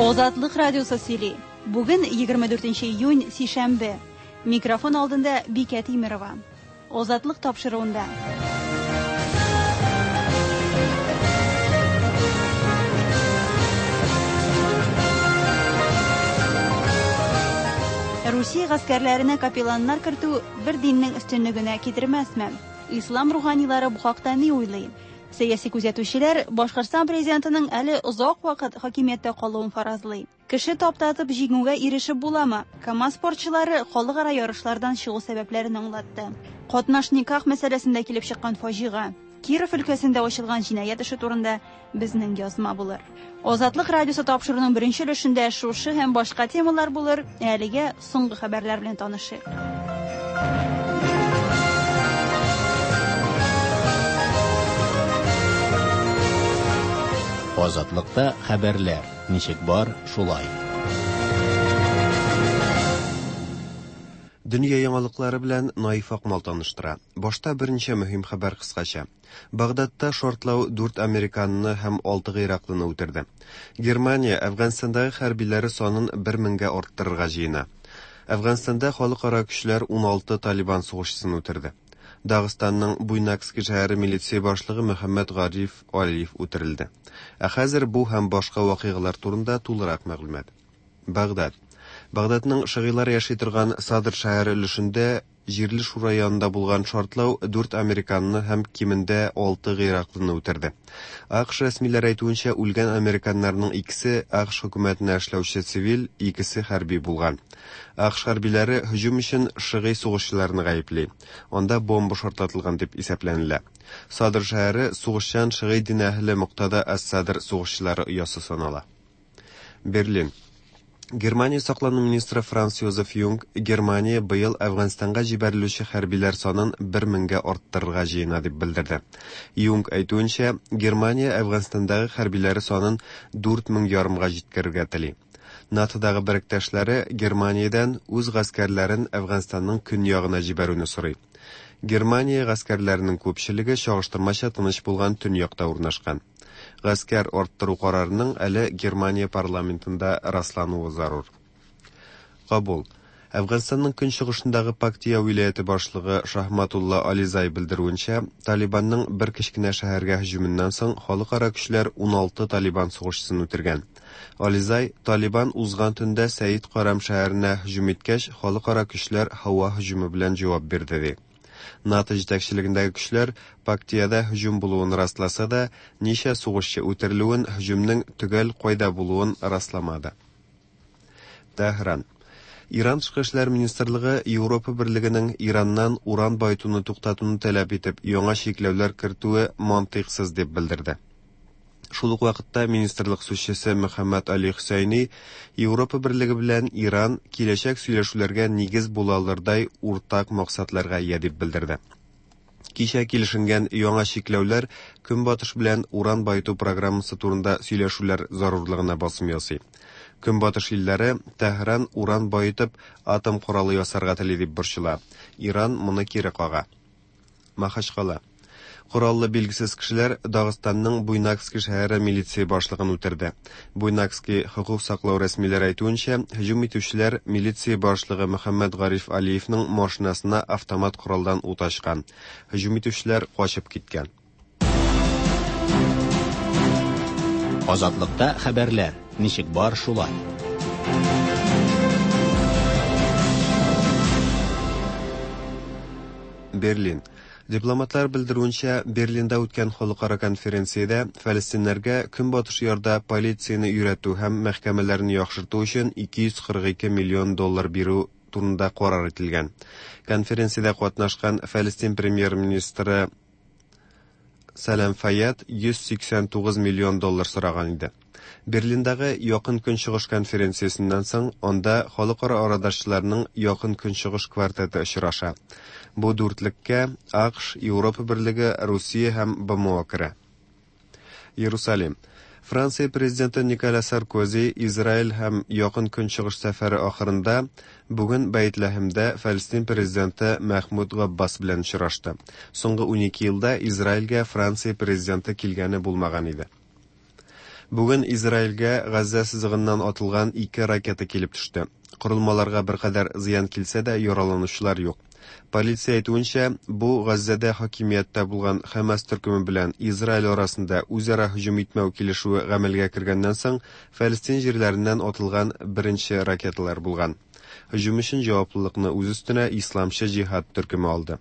Азатлык радиосы сөйли. Бүген 24 июнь, сишәмбе. Микрофон алдында Бикә Тимерова. Азатлык тапшыруында. Русия гаскәрләренә капелланнар кертү бер диннең өстенлегенә китермәсме? Ислам руханилары бу хакта ни уйлый? Сәяси күзәтүчеләр Башкортстан президентының әле озак вакыт хакимияттә калуын фаразлый. Кеше таптатып җиңүгә ирешеп буламы? КАМАЗ спортчылары халыкара ярышлардан чыгу сәбәпләрен аңлатты. Катнаш никах мәсьәләсендә килеп чыккан фаҗига. Киров өлкәсендә ачылган җинаять эше турында безнең язма булыр. Азатлык радиосы тапшыруның беренче өлешендә шушы һәм башка темалар булыр. Ә әлегә соңгы хәбәрләр белән танышыйк. Азатлыкта хәбәрләр ничек бар, шулай. Дөнья яңалыклары белән Наиф Акмал таныштыра. Башта берничә мөһим хәбәр кыскача. Багдадта шартлау дүрт американны һәм алты гыйраклыны үтерде. Германия Әфганстандагы хәрбиләре санын бер меңгә арттырырга җыена. Әфганстанда халыкара көчләр 16 талибан сугышчысын үтерде. Дагыстанның Буйнакски шәһәре милиция башлыгы Мөхәммәд Гариф Алиев үтерелде. Ә хәзер бу һәм башка вакыйгалар турында тулырак мәгълүмат. Багдад. Багдадның шыгыйлар яши торган Садр шәһәре өлешендә җирле шура янында булган шартлау дүрт американны һәм кимендә алты гыйраклыны үтерде. АКШ рәсмиләре әйтүенчә, үлгән американнарның икесе АКШ хөкүмәтенә эшләүче цивиль, икесе хәрби булган. АКШ хәрбиләре һөҗүм өчен шыгый сугышчыларны гаепли. Анда бомба шартлатылган дип исәпләнелә. Садр шәһәре сугышчан шыгый дин әһеле Муктада ас-Садр сугышчылары оясы санала. Берлин. Германия саклану министры Франц Йозеф Юнг Германия быел Әфганстанга җибәрелүче хәрбиләр санын бер меңгә арттырырга җыена дип белдерде. Юнг әйтүенчә, Германия Әфганстандагы хәрбиләре санын 4 мең ярымга җиткерергә тели. НАТОдагы беректәшләре Германиядән үз гаскәрләрен Әфганстанның көньягына җибәрүне сорый. Германия гаскәрләренең күпчелеге чагыштырмача тыныч булган төньякта урнашкан. Гаскәр арттыру карарының әле Германия парламентында раслануы зарур. Кабул. Әфганстанның көнчыгышындагы Пактия вилаяте башлыгы Шахматулла Ализай белдерүенчә, Талибанның бер кечкенә шәһәргә һөҗүменнән соң халыкара көчләр 16 Талибан сугышчысын үтергән. Ализай, Талибан узган төндә Сәид Карам шәһәренә һөҗүм иткәч, халыкара көчләр һава һөҗүме белән җавап бирде ди. НАТО җитәкчелегендәге көчләр Пактиядә һөҗүм булуын расласа да, ничә сугышчы үтерелүен, һөҗүмнең төгәл кайда булуын расламады. Тәһран. Иран тышкы эшләр министрлыгы Европа берлегенең Ираннан уран баетуны туктатуны таләп итеп, яңа чикләүләр кертүе мантыйксыз дип белдерде. Шул ук вакытта министрлык сүзчесе Мөхәммәд Али Хөсәйни Европа берлеге белән Иран киләчәк сөйләшүләргә нигез була алырдай уртак максатларга ия дип белдерде. Кичә килешенгән яңа чикләүләр Көнбатыш белән уран баету программасы турында сөйләшүләр зарурлыгына басым ясый. Көнбатыш илләре Тәһран уран баетып атом коралы ясарга тели дип борчыла. Иран моны кире кага. Махачкала. Кораллы билгесез кешеләр Дагыстанның Буйнакский шәһәре милиция башлыгын үтерде. Буйнакский хокук саклау рәсмиләре әйтүенчә, һөҗүм итүчеләр милиция башлыгы Мөхәммәд Гариф Алиевның машинасына автомат коралдан ут ачкан. Һөҗүм итүчеләр качып киткән. Азатлыкта хәбәрләр ничек бар, шулай. Берлин. Дипломатлар белдерүенчә, Берлинда үткән халыкара конференциядә фәлестиннәргә Көнбатыш ярда полицияне өйрәтү һәм мәхкәмәләрне яхшырту өчен 242 миллион доллар бирү турында карар ителгән. Конференциядә катнашкан Фәлестин премьер-министры Сәлам Файяд 189 миллион доллар сораган иде. Берлиндагы Якын Көнчыгыш конференциясеннән соң анда халыкара арадашчыларның Якын Көнчыгыш квартеты очраша. Бу дүртлеккә АКШ, Европа берлеге, Русия һәм БМО керә. Иерусалим. Франция президенты Николя Саркози Израиль һәм Якын Көнчыгыш сәфәре ахырында бүген Бәйтләһемдә Фәлестин президенты Мәхмүд Габбас белән очрашты. Соңгы 12 елда Израильгә Франция президенты килгәне булмаган иде. Бүген Израильгә Газзә сызыгыннан атылган ике ракета килеп төште. Корылмаларга беркадәр зыян килсә дә, яраланучылар юк. Полиция әйтүенчә, бу Газзәдә хакимияттә булган Хәмас төркеме белән Израиль арасында үзара һөҗүм итмәү килешүе гамәлгә кергәннән соң Фәлестин җирләреннән атылган беренче ракеталар булган. Һөҗүм өчен җаваплылыкны үз өстенә Исламчы җиһад төркеме алды.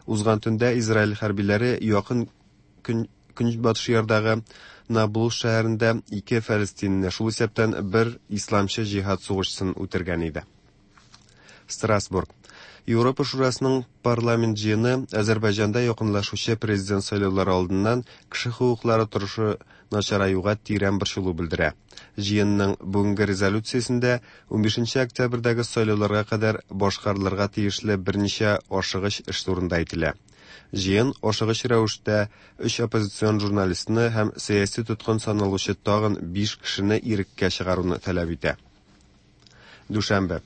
Узган төндә Израиль хәрбиләре якын көн Көнбатыш ярдагы Наблус шәһәрендә ике фәлестинне, шул исәптән бер Исламчы җиһад сугышчысын үтергән иде. Страсбург. Европа Шурасының парламент җыены Азәрбайҗанда якынлашучы президент сайлаулары алдыннан кеше хокуклары торышы начараюга тирән борчылу белдерә. Җыенның бүгенге резолюциясендә 15 октябрьдәге сайлауларга кадәр башкарылырга тиешле берничә ашыгыч эш турында әйтелә. Җыен ашыгыч рәвештә өч оппозицион журналистны һәм сәяси тоткын саналучы тагын биш кешене иреккә чыгаруны таләп итә. Дүшәмбе.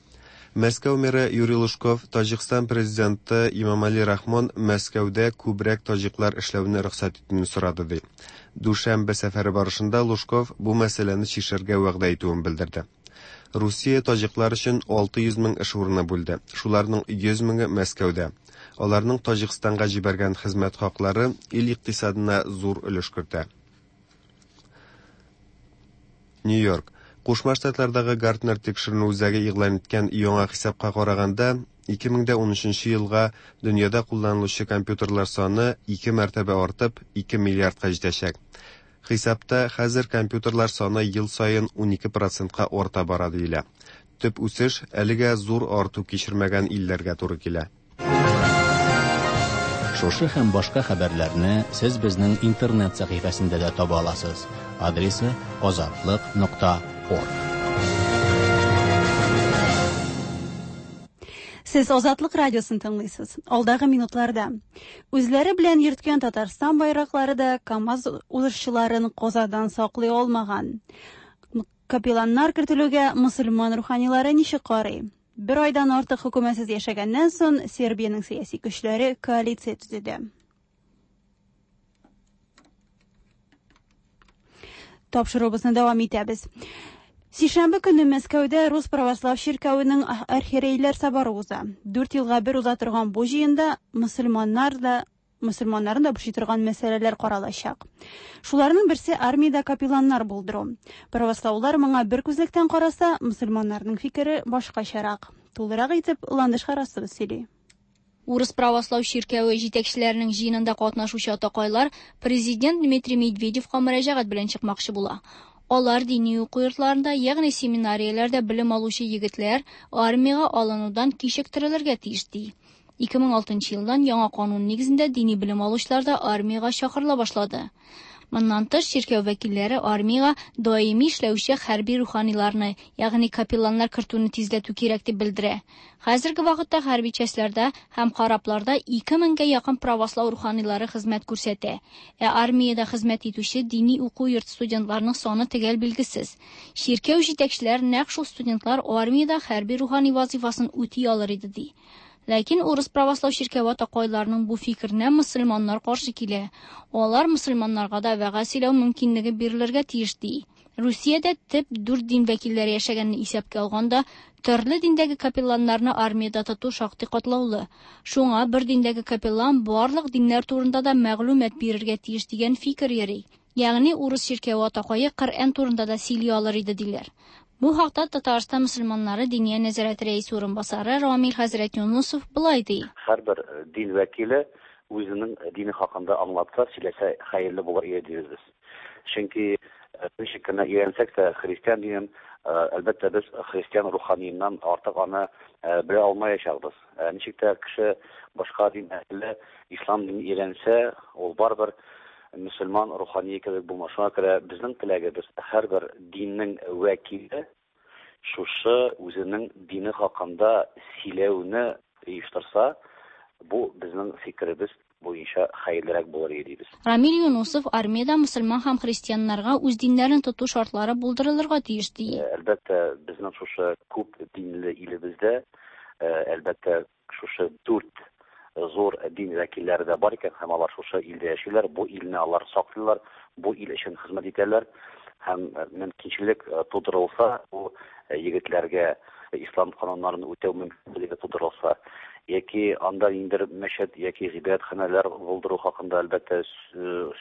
Мәскәү мэры Юрий Лужков Таҗикстан президенты Имамали Рахмон Мәскәүдә күбрәк таҗиклар эшләүне рөхсәт итүне сорады ди. Дүшәмбе сәфәре барышында Лужков бу мәсьәләне чишәргә вәгъдә итүен белдерде. Русия таҗиклар өчен 600 мең эш урыны бүлде. Шуларның 100 меңе Мәскәүдә. Аларның Таҗикстанга җибәргән хезмәт хаклары ил икътисадына зур өлеш кертә. Нью-Йорк. Кушма Штатлардагы Гартнер тикшеренү үзәге игълан иткән яңа хисапка караганда, 2013 елга дөньяда кулланылучы компьютерлар саны ике мәртәбә артып, 2 миллиардка җитәчәк. Хисапта хәзер компьютерлар саны ел саен 12 процентка арта бара диелә. Төп үсеш әлегә зур арту кичермәгән илләргә туры килә. Шушы һәм башка хәбәрләрне сез безнең интернет сәхифәсендә дә таба аласыз. Адресы azatliq.org. Сез Азатлык радиосын тыңлыйсыз. Алдагы минутларда үзләре белән йөрткән Татарстан байраклары да КАМАЗ узышчыларын казадан саклый алмаган. Капелланнар кертелүгә мөселман руханилары ничек карый? Бер айдан артык хөкүмәтсез яшәгәннән соң Сербиянең сәяси көчләре коалиция төзеде. Тапшыруыбызны дәвам итәбез. Сишәмбе көне Мәскәүдә Рус православ чиркәвенең архиерейләр соборы уза. 4 елга бер уза торган бу җыенда мөселманнар да мөселманнарны да борчый торган мәсьәләләр каралачак. Шуларның берсе армиядә капелланнар булдыру. Правослаулар моңа бер күзлектән караса, мөселманнарның фикере башкачарак. Тулырак итеп Ландыш Харасова сөйли. Урыс православ чиркәве җитәкчеләренең җыенында катнашучы атакайлар президент Дмитрий Медведевка мөрәҗәгать белән чыкмакчы була. Алар дини уку йортларында, ягъни семинарияләрдә белем алучы егетләр армиягә алынудан кичектерелергә тиеш ди. 2006 елдан яңа канун нигезендә дини белем алучылар да армиягә чакырыла башлады. Моннан тыш, чиркәү вәкилләре армиягә даими эшләүче хәрби руханиларны, ягъни капелланнар кертүне тизләтү кирәк дип белдерә. Хәзерге вакытта хәрби частьләрдә һәм корабларда 2000гә якын православ руханилары хезмәт күрсәтә. Ә армиядә хезмәт итүче дини уку йорты студентларының саны төгәл билгесез. Чиркәү җитәкчеләре нәкъ шул студентлар армиядә хәрби рухани вазифасын үти алыр иде ди. Ләкин урыс православ чиркәве атакайларының бу фикеренә мөселманнар каршы килә. Алар мөселманнарга да вәгазь сөйләү мөмкинлеге бирелергә тиеш ди. Русиядә төп дүрт дин вәкилләре яшәгәнне исәпкә алганда, төрле диндәге капелланнарны армиядә тоту шактый катлаулы. Шуңа бер диндәге капеллан барлык диннәр турында да мәгълүмат бирергә тиеш дигән фикер йөри. Ягъни урыс чиркәве атакае Коръән турында да сөйли алыр иде диләр. Бу хакта Татарстан мөселманнары Диния нәзарәте рәисе урынбасары Рамил хәзрәт Юнусов былай ди. Һәрбер дин вәкиле үзенең дине хакында аңлатса, сөйләсә хәерле булыр иде дибез без. Чөнки ничек кенә өйрәнсәк тә христиан динен, әлбәттә, без христиан руханиеннән артык аны белә алмаячакбыз. Ничек тә кеше башка дин әһеле ислам динен өйрәнсә, ул барыбер мөселман рухание кебек булмас. Шуңа күрә безнең теләгебез һәрбер диннең вәкиле шушы үзенең дине хакында сөйләүне оештырса, бу безнең фикеребез буенча хәерлерәк булыр иде дибез. Рамил Юнусов армиядә мөселман һәм христианнарга үз диннәрен тоту шартлары булдырылырга тиеш ди. Әлбәттә, безнең шушы күп динле илебездә, әлбәттә, шушы дүрт зур дин вәкилләре дә бар икән, һәм алар шушы илдә яшиләр, бу илне алар саклыйлар, бу ил өчен хезмәт итәләр. Һәм мөмкинчелек тудырылса, бу егетләргә ислам кануннарын үтәү мөмкинлеге тудырылса, яки анда ниндидер мәчет яки гыйбадәтханәләр булдыру хакында, әлбәттә,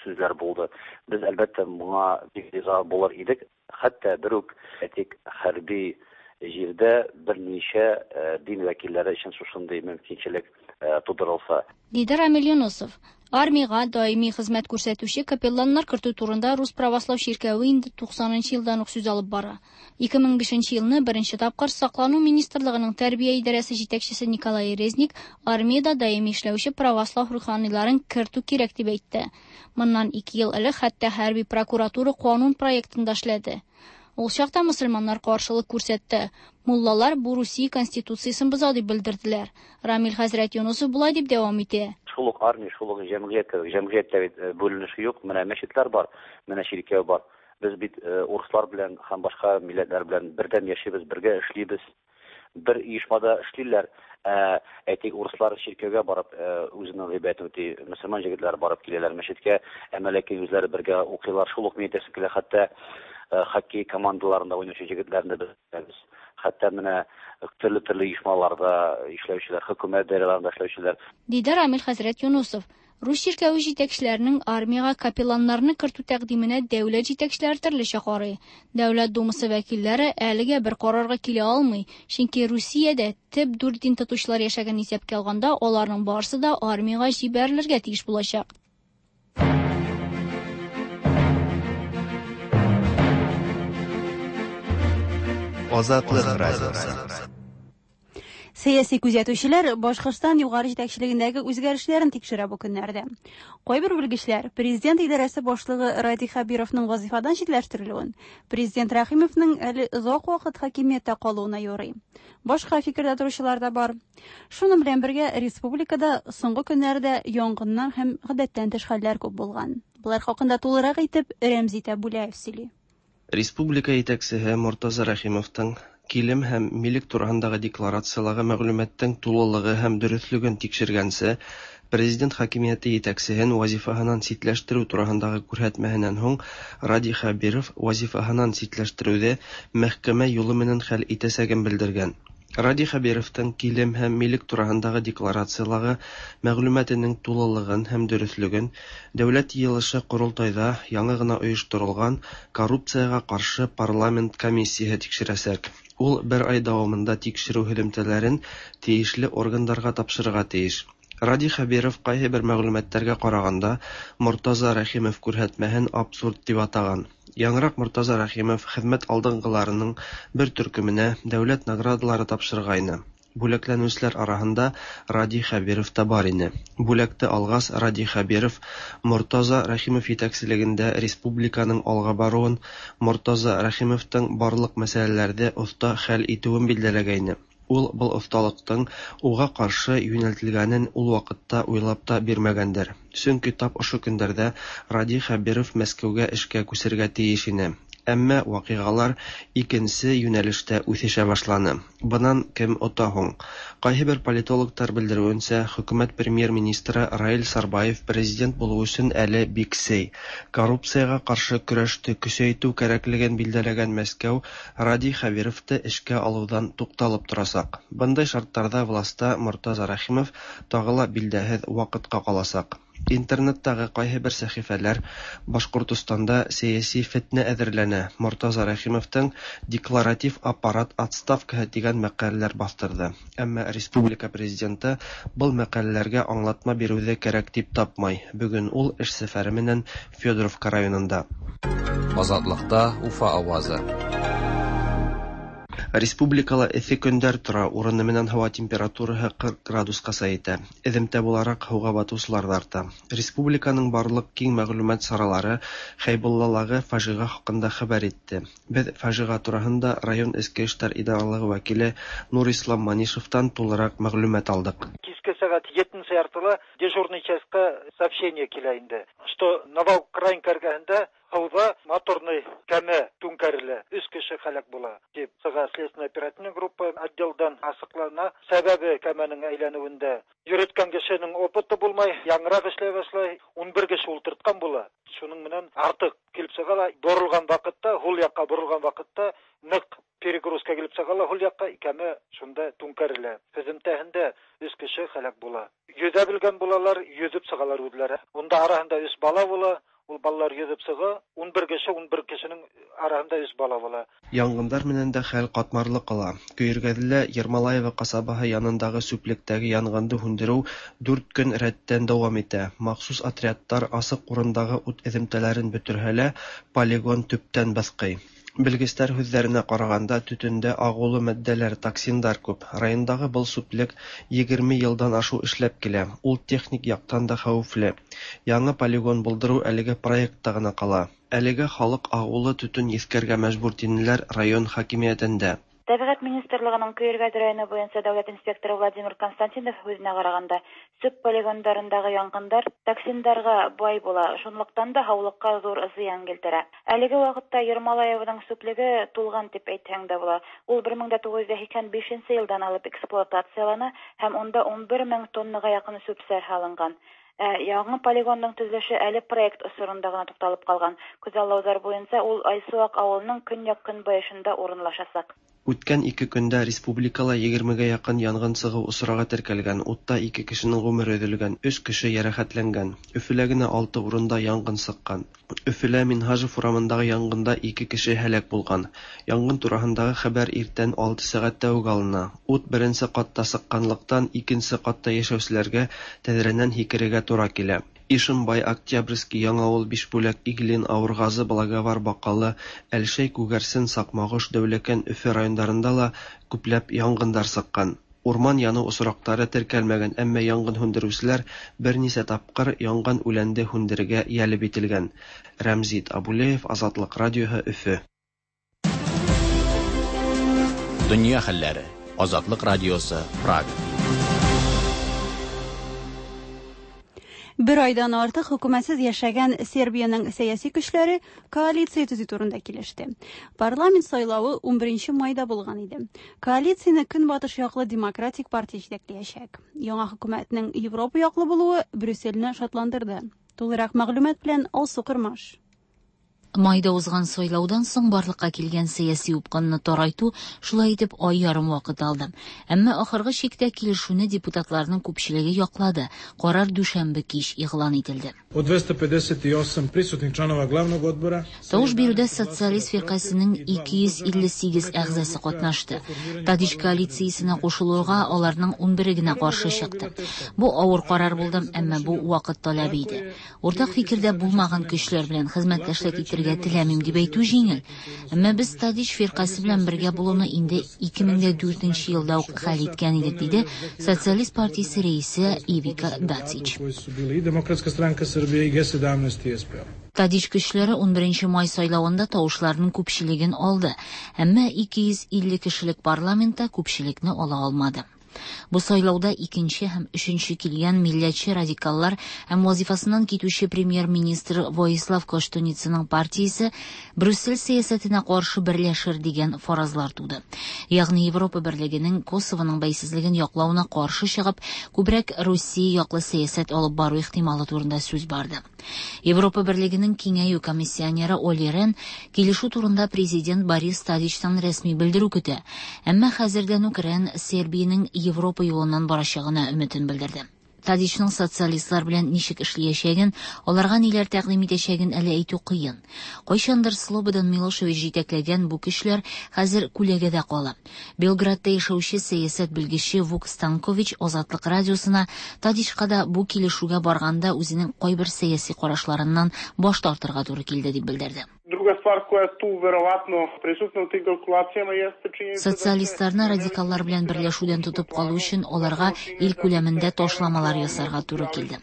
сүзләр булды. Без, әлбәттә, моңа бик риза булыр идек. Хәтта бер үк, әйтик, хәрби җирдә берничә дин вәкилләре өчен шушындый мөмкинчелек тудырылса. Диде Рамил Юнысов. Армиягә даими хезмәт күрсәтүче капелланнар кертү турында Рус правослау чиркәве инде 90 нчы елдан ук сүз алып бара. 2005 нче елны беренче тапкыр Саклану министрлыгының тәрбия идарәсе җитәкчесе Николай Резник армиядә даими эшләүче православ руханиларын кертү кирәк дип әйтте. Моннан ике ел элек хәтта хәрби прокуратура канун проектын да эшләде. Ул чакта мөселманнар каршылык күрсәтте. Муллалар бу Русия Конституциясен боза дип белдерделәр. Рамил хәзрәт Юнысов болай дип дәвам итә. Шул ук армия, шул ук җәмгыять кебек. Җәмгыятьтә бит бүленеш юк. Менә мәчетләр бар, менә чиркәү бар. Без бит урыслар белән һәм башка милләтләр белән бердәм яшибез, бергә эшлибез. Бер оешмада эшлиләр. Ә, әйтик, урыслар чиркәүгә барып үзенең гыйбадәтен үти, мөселман җегетләре барып киләләр мәчеткә, әмма ләкин үзләре бергә укыйлар. Шул ук мин әйтәсем килә, хәтта хоккей командаларында уйнаучы җегетләрне дә без беләбез. Хәтта менә төрле-төрле оешмаларда эшләүчеләр, хөкүмәт даирәләрендә эшләүчеләр. Диде Рамил хәзрәт Юнусов. Рус чиркәве җитәкчеләренең армиягә капелланнарны кертү тәкъдименә дәүләт җитәкчеләре төрлечә карый. Дәүләт Думасы вәкилләре әлегә бер карарга килә алмый, чөнки Русиядә төп дүрт дин тотучылар яшәгәнен исәпкә алганда, аларның барысы да армиягә җибәрелергә тиеш булачак. Азатлык радиосы. Сәяси күзәтүчеләр Башкортстан югары җитәкчелегендәге үзгәрешләрен тикшерә бу көннәрдә. Кайбер белгечләр президент идарәсе башлыгы Радий Хәбировның вазифадан читләштерелүен, президент Рәхимовның әле озак вакыт хакимияттә калуына юрый. Башка фикердә торучылар да бар. Шуның белән бергә республикада соңгы көннәрдә янгыннар һәм гадәттән тыш хәлләр күп булган. Болар хакында тулырак итеп Рәмзи Тәбүләев сөйли. Республика итәксеһе Мортаза Рәхимовтың килем һәм милек тураһындагы декларацияләге мәгълүматтың тулылыгы һәм дөреҫлеген тикшергәнсе, президент хакимиәте етәксеһен вазифаһынан ситләштерү тураһындагы күрһәтмәһенән һуң Радий Хәбиров вазифаһынан ситләштерүҙе мәхкәмә юлы менән хәл итәсәген белдергән. Радий Хәбировтың килем һәм милек тураһындагы декларацияләге мәгълүматының тулылыгын һәм дөреҫлеген Дәүләт йыйылышы Ҡоролтайҙа яңы ғына ойошторолған коррупцияға ҡаршы парламент комиссияһы тикшерәсәк. Ул бер ай дауамында тикшереү һөҙөмтәләрен тейешле органдарға тапшырырға тейеш. Радий Хәбиров ҡайһы бер мәғлүмәттәргә ҡарағанда Мортаза Рәхимов күрһәтмәһен абсурд тип атаған. Яңыраҡ Мортаза Рәхимов хеҙмәт алдынғыларының бер төркөмөнә дәүләт наградалары тапшырғайны. Бүләкләнеүселәр араһында Радий Хәбиров та бар ине. Бүләкте алғас, Радий Хәбиров Мортаза Рәхимов етәкселегендә республиканың алға барыуын, Мортаза Рәхимовтың барлыҡ мәсьәләләрҙе оҫта хәл итеүен билдәләгәйне. Ул был оҫталыҡтың уға ҡаршы йүнәлтелгәнен ул ваҡытта уйлап та бирмәгәндер. Сөнки тап ошо көндәрҙә Радий Хәбиров Мәскәүгә эшкә күсергә тейеш ине. Әммә ваҡиғалар икенсе йүнәлештә үҫешә башланы. Бынан кем ота һуң? Ҡайһы бер политологтар белдереүенсә, хөкүмәт премьер-министры Раил Сарбаев президент булыу өсөн әле бик сей. Коррупцияға ҡаршы көрәште көсәйтеү кәрәклеген билдәләгән Мәскәү Радий Хәбировты эшкә алыуҙан туҡталып торасаҡ. Бындай шарттарҙа власта Мортаза Рәхимов тағы ла билдәһеҙ ваҡытҡа ҡаласаҡ. Интернеттағы ҡайһы бер сәхифәләр Башҡортостанда сәйәси фетнә әҙерләнә, Мортаза Рәхимовтың декларатив аппарат отставкаһы тигән мәҡәләләр баҫтырҙы. Әммә республика президенты был мәҡәләләргә аңлатма биреүҙе кәрәк тип тапмай. Бөгөн ул эш сәфәре менән Федоровка районында. Азатлыҡта Уфа ауазы. Республикала эҫе көндәр тора, урыны менән һауа температураһы 40 градусҡаса етә. Эҙемтә булараҡ һыуға батыусылар ҙа арта. Республиканың барлыҡ киң мәғлүмәт саралары Хәйбуллалағы фажиға хаҡында хәбәр итте. Беҙ фажиға тураһында район эске эштәр идаралығы вәкиле Нурислам Манишевтан тулыраҡ мәғлүмәт алдыҡ. Киске сәғәт етенсе яртыла дежурный частьҡа сообщение килә инде, что Новоукраинка эргәһендә һыуҙа моторный кәмә түңкәрелә, өс кеше һәләк була тип сыға следственная оперативная группа отделдан асыҡлана. Сәбәбе кәмәнең әйләнеүендә йөрөткән кешенең опыты булмай, яңыраҡ эшләй башлай, 11 кеше ултыртҡан була. Шуның менән артыҡ килеп сыға ла, боролған ваҡытта Араһында өч бала була. Ул балалар йөзеп чыга. 11 кеше, 11 кешенең араһында өч бала була. Янгындар менән дә хәл катмарлы кала. Көйөргәҙелә Ермолаево ҡасабаһы янындағы сүплектәге янғынды һүндереү 4 көн рәттән дауам итә. Махсус отрядтар асыҡ урындағы ут эҙемтәләрен бөтөрһә лә, полигон төптән быҫҡый. Белгестәр һүҙҙәренә ҡарағанда, төтөндә ағыулы матдәләр, токсиндар күп. Райондағы был сүплек 20 йылдан ашыу эшләп килә. Ул техник яҡтан да хәүефле. Яңы полигон булдырыу әлеге проектта ғына ҡала. Әлегә халыҡ ағыулы төтөн еҫкәргә мәжбүр, тинеләр район хакимиәтендә. Тәбиғәт министрлығының Көйөргәҙ районы буйынса дәүләт инспекторы Владимир Константинов һүҙенә ҡарағанда, сүп полигондарындағы янғындар токсиндарға бай була, шунлыҡтан да һаулыҡҡа ҙур зыян килтерә. Әлеге ваҡытта Ермолаеваның сүплеге тулған тип әйтһәң дә була. Ул 1985 йылдан алып эксплуатациялана һәм унда 11 мең тоннаға яҡын сүп-сар һалынған. Яңы полигондың төҙөлөшө әле проект осоронда ғына туҡталып ҡалған. Күҙаллауҙар буйынса ул Айсыуаҡ ауылының көньяҡ-көнбайышында урынлашасаҡ. Үткән 2 көндә республикала 20-гә яҡын янғын сығыу осрағы теркәлгән. Утта 2 кешенең ғүмере өҙөлгән, 3 кеше йәрәхәтләнгән. Өфөлә генә 6 урында янғын сыҡҡан. Өфөлә Минһажев урамындағы янғында 2 кеше һәләк булған. Янғын тураһындағы хәбәр иртән 6 сәғәттә үк алына. Ут беренсе ҡатта сыҡҡанлыҡтан икенсе ҡатта йәшәүселәргә тәҙрәнән һикерергә тура килә. Ишембай, Октябрьский, Яңауыл, Бишбүләк, Иглин, Ауырғазы, Благовар, Баҡалы, Әлшәй, Күгәрсен, Саҡмағош, Дәүләкән, Өфө райондарында ла күпләп янғындар сыҡҡан. Урман яныу осраҡтары теркәлмәгән, әммә янғын һүндереүселәр бер нисә тапҡыр янған үләнде һүндерергә йәлеп ителгән. Рәмзит Абулеев, Азатлыҡ радиоһы, Өфө. Донъя хәлләре. Азатлыҡ радиосы, Прага. Бер айдан артык хөкүмәтсез яшәгән Сербиянең сәяси көчләре коалиция төзү турында килеште. Парламент сайлавы 11 майда булган иде. Коалицияне Көнбатыш яклы Демократик партия җитәкләячәк. Яңа хөкүмәтнең Европа яклы булуы Брюссельне шатландырды. Тулырак мәгълүмат белән Алсу Кырмаш. Майда узган сайлаудан соң барлыкка килгән сәяси упкынны тарайту шулай итеп ай ярым вакыт алды. Әмма ахыргы чиктә килешүне депутатларның күпчелеге яклады. Карар дүшәмбе кич игълан ителде. Od 258 prisutnih članova glavnog odbora Тавыш бирүдә социалист фиркасының 258 әгъзасы катнашты. Тадич коалициясенә кушылуга аларның 11-е генә каршы чыкты. Бу авыр карар булды, әмма бу вакыт таләбе иде. Уртак фикердә булмаган көчләр белән хезмәттәшлек итәргә теләмим дип әйтү җиңел. Әмма без Тадич фиркасе белән бергә булуны инде 2004 елда ук хәл иткән идек, диде Социалист партиясе рәисе Ивика Дацич. koji su bili i Demokratska stranka Srbije i G17 i SPO. Тадич көчләре 11 май сайлавында тавышларның күпчелеген алды, әмма 250 кешелек парламентта күпчелекне ала алмады. Бу сайлауда икенче һәм өченче килгән милләтче радикаллар һәм вазифасыннан китүче премьер-министр Воислав Коштуницаның партиясе Брюссель сәясәтенә каршы берләшер дигән фаразлар туды. Ягъни Европа берлегенең Косовоның бәйсезлеген яклавына каршы чыгып, күбрәк Русия яклы сәясәт алып бару ихтималы турында сүз барды. Европа берлегенең киңәю комиссионеры Оли Рен килешү турында президент Борис Тадичтан рәсми белдерү көтә. Әмма хәзердән үк Рен Сербиянең Европа юлыннан барачагына өметен белдерде. Тадичның социалистлар белән ничек эшләячәген, аларга ниләр тәкъдим итәчәген әле әйтү кыен. Кайчандыр Слободан Милошевич җитәкләгән бу көчләр хәзер күләгәдә кала. Белградта яшәүче сәясәт белгече Вук Станкович Азатлык радиосына Тадичка да бу килешүгә барганда үзенең кайбер сәяси карашларыннан баш тартырга туры килде дип белдерде. Druga stvar koja je tu verovatno prisutna u tim kalkulacijama jeste činjenica da Социалистларны радикаллар белән берләшүдән тотып калу өчен аларга ил күләмендә ташламалар ясарга туры килде.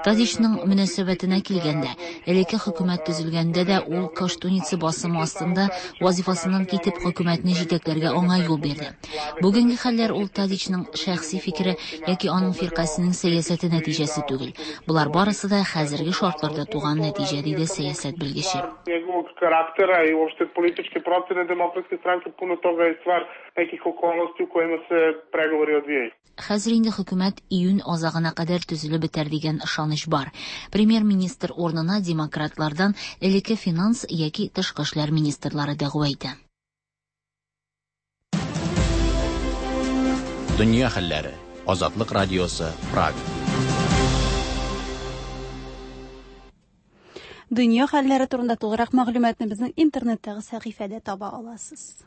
Тадичның мөнәсәбәтенә килгәндә, элекке хөкүмәт төзелгәндә дә ул Коштуница басымы астында вазифасыннан китеп хөкүмәтне җитәкләргә аңа юл бирде. Бүгенге хәлләр ул Тадичның шәхси фикере яки аның фиркасының сәясәте нәтиҗәсе түгел. Булар барысы да хәзерге шартларда туган нәтиҗә, диде сәясәт белгече. Njegovog karaktera i uopšte političke procene Demokratske stranke, puno toga je stvar nekih okolnosti u kojima se pregovori odvijaju. Хәзер инде хөкүмәт июнь азагына кадәр төзелеп бетәр дигән ышаныч бар. Премьер-министр урынына демократлардан элекке финанс яки тышкы эшләр министрлары дәгъва итә. Дөнья хәлләре. Азатлык радиосы, Прага. Дөнья хәлләре турында тулырак мәгълүматны безнең интернеттагы сәхифәдә таба аласыз.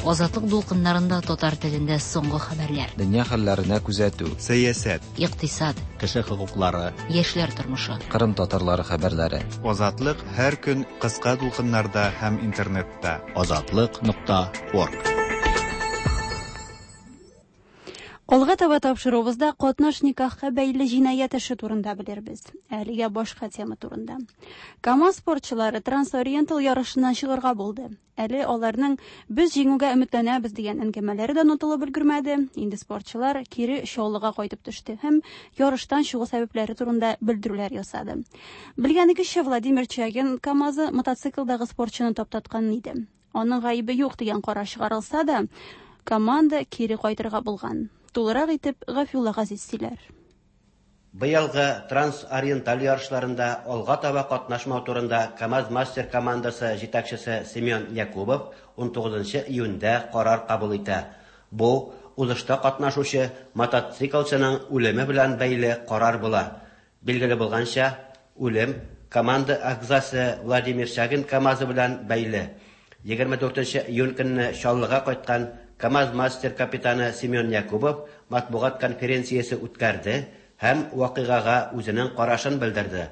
Азатлык дулкыннарында татар телендә соңгы хәбәрләр. Дөнья хәлләренә күзәтү. Сәясәт. Икътисад. Кеше хокуклары. Яшьләр тормышы. Кырым татарлары хәбәрләре. Азатлык һәр көн кыска дулкыннарда һәм интернетта. Азатлык нокта орг. Алга таба тапшыруыбызда катнаш никахка бәйле җинаять эше турында белербез. Әлегә башка тема турында. КАМАЗ спортчылары Трансориентал ярышыннан чыгарга булды. Әле аларның без җиңүгә өметләнәбез дигән әңгәмәләре дә онытылып өлгермәде. Инде спортчылар кире Чаллыга кайтып төште һәм ярыштан чыгу сәбәпләре турында белдерүләр ясады. Белгәнегезчә, Владимир Чагин КАМАЗы мотоциклдагы спортчыны таптаткан иде. Аның гаебе юк дигән карар чыгарылса да, команда кире кайтырга булган. Тулырак итеп Гафиулла Газиз сөйләр. Быелгы Трансориенталь ярышларында алга таба катнашмау турында КАМАЗ-Мастер командасы җитәкчесе Семен Якубов 19 июньдә карар кабул итә. Бу узышта катнашучы мотоциклчының үлеме белән бәйле карар була. Билгеле булганча, үлем команда әгъзасы Владимир Чагин КАМАЗы белән бәйле. 24 июнь көнне Чаллыга кайткан КАМАЗ-Мастер капитаны Семен Якубов матбугат конференциясе үткәрде һәм вакыйгага үзенең карашын белдерде.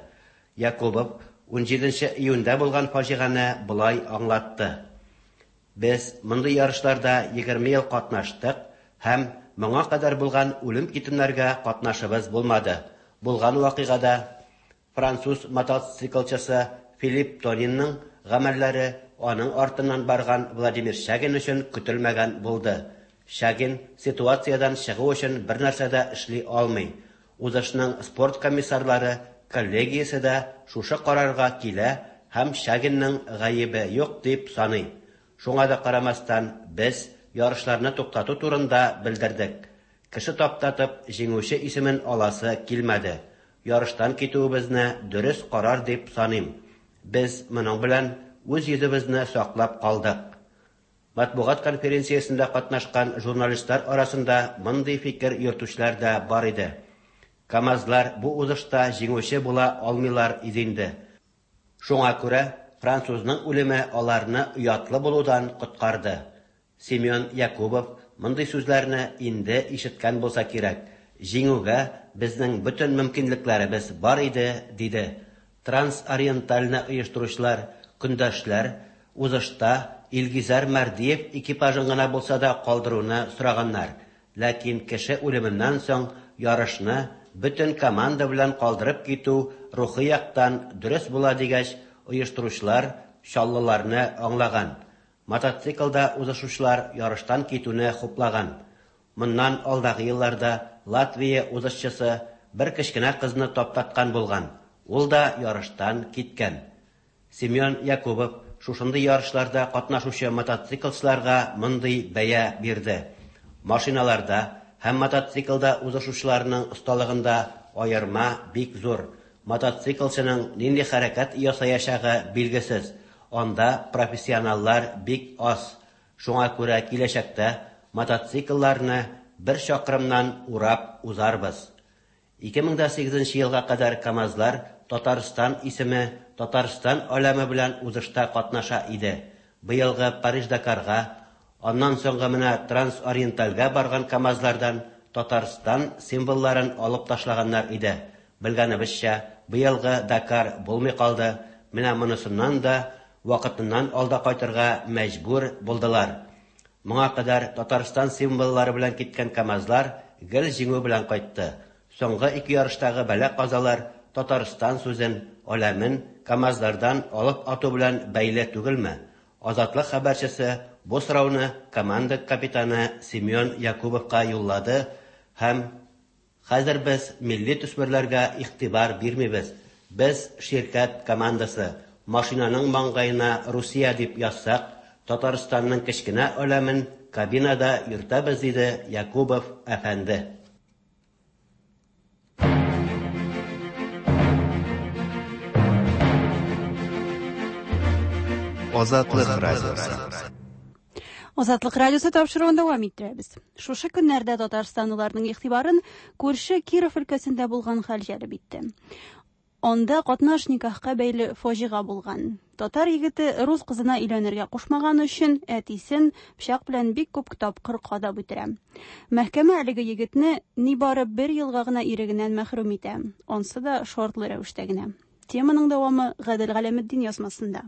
Якубов 17 июньдә булган фаҗигане болай аңлатты. Без мондый ярышларда 20 ел катнаштык һәм моңа кадәр булган үлем-китемнәргә катнашыбыз булмады. Булган вакыйгада француз мотоциклчысы Филипп Тонинның гамәлләре аның артыннан барган Владимир Шагин өчен көтелмәгән булды. Шагин ситуациядән чыгу өчен бер нәрсә дә эшли алмый. Узышның спорт комиссарлары коллегиясе дә шушы карарга килә һәм Шагинның гаебе юк дип саный. Шуңа да карамастан, без ярышларны туктату турында белдердек. Кеше таптатып җиңүче исемен аласы килмәде. Ярыштан китүебезне дөрес карар дип саныйм. Без моның белән үз йөзебезне саклап калдык. Матбугат конференциясендә катнашкан журналистлар арасында мондый фикер йөртүчеләр дә бар иде. КАМАЗлар бу узышта җиңүче була алмыйлар иде инде. Шуңа күрә французның үлеме аларны оятлы булудан коткарды. Семен Якубов мондый сүзләрне инде ишеткән булса кирәк. Җиңүгә безнең бөтен мөмкинлекләребез бар иде, диде. Трансориентальны оештыручылар, көндәшләр узышта Илгизәр Мәрдиев экипажын гына булса да калдыруны сораганнар. Ләкин кеше үлеменнән соң ярышны бөтен команда белән калдырып китү рухи яктан дөрес була дигәч, оештыручылар чаллыларны аңлаган. Мотоциклда узышучылар ярыштан китүне хуплаган. Моннан алдагы елларда Латвия узышчысы бер кечкенә кызны таптаткан булган. Ул да ярыштан киткән. Семен Якубов шушындый ярышларда катнашучы мотоциклчыларга мондый бәя бирде. Машиналарда һәм мотоциклда узышучыларның осталыгында аерма бик зур. Мотоциклчының нинди хәрәкәт ясаячагы билгесез. Анда профессионаллар бик аз. Шуңа күрә киләчәктә мотоциклларны бер чакрымнан урап узарбыз. 2008 елга кадәр КАМАЗлар Татарстан исеме Татарстан аләме белән узышта катнаша иде. Быелгы Париж-Дакарга, аннан соңгы менә Трансориентальгә барган КАМАЗлардан Татарстан символларын алып ташлаганнар иде. Белгәнебезчә, быелгы Дакар булмый калды. Менә монысыннан да вакытыннан алда кайтырга мәҗбүр булдылар. Моңа кадәр Татарстан символлары белән киткән КАМАЗлар гел җиңү белән кайтты. Соңгы ике ярыштагы бәла-казалар Татарстан сүзен, аләмен КАМАЗлардан алып ату белән бәйле түгелме? Азатлык хәбәрчесе бу сорауны команда капитаны Семен Якубовка юллады һәм хәзер без милли төсмерләргә игътибар бирмибез. Без ширкәт командасы. Машинаның маңгаена Русия дип язсак, Татарстанның кечкенә аләмен кабинада йөртәбез, диде Якубов әфәнде. Азатлык радиосы. Азатлык радиосы тапшыруын дәвам иттерәбез. Шушы көннәрдә татарстанлыларның игътибарын күрше Киров өлкәсендә булган хәл җәлеп итте. Анда катнаш никахка бәйле фаҗига булган. Татар егете рус кызына өйләнергә кушмаганы өчен әтисен пычак белән бик күп тапкыр кадап үтерә. Мәхкәмә әлеге егетне нибары бер елга гына ирегеннән мәхрүм итә. Ансы да шартлы рәвештә генә. Теманың дәвамы Гадел Галәметдин язмасында.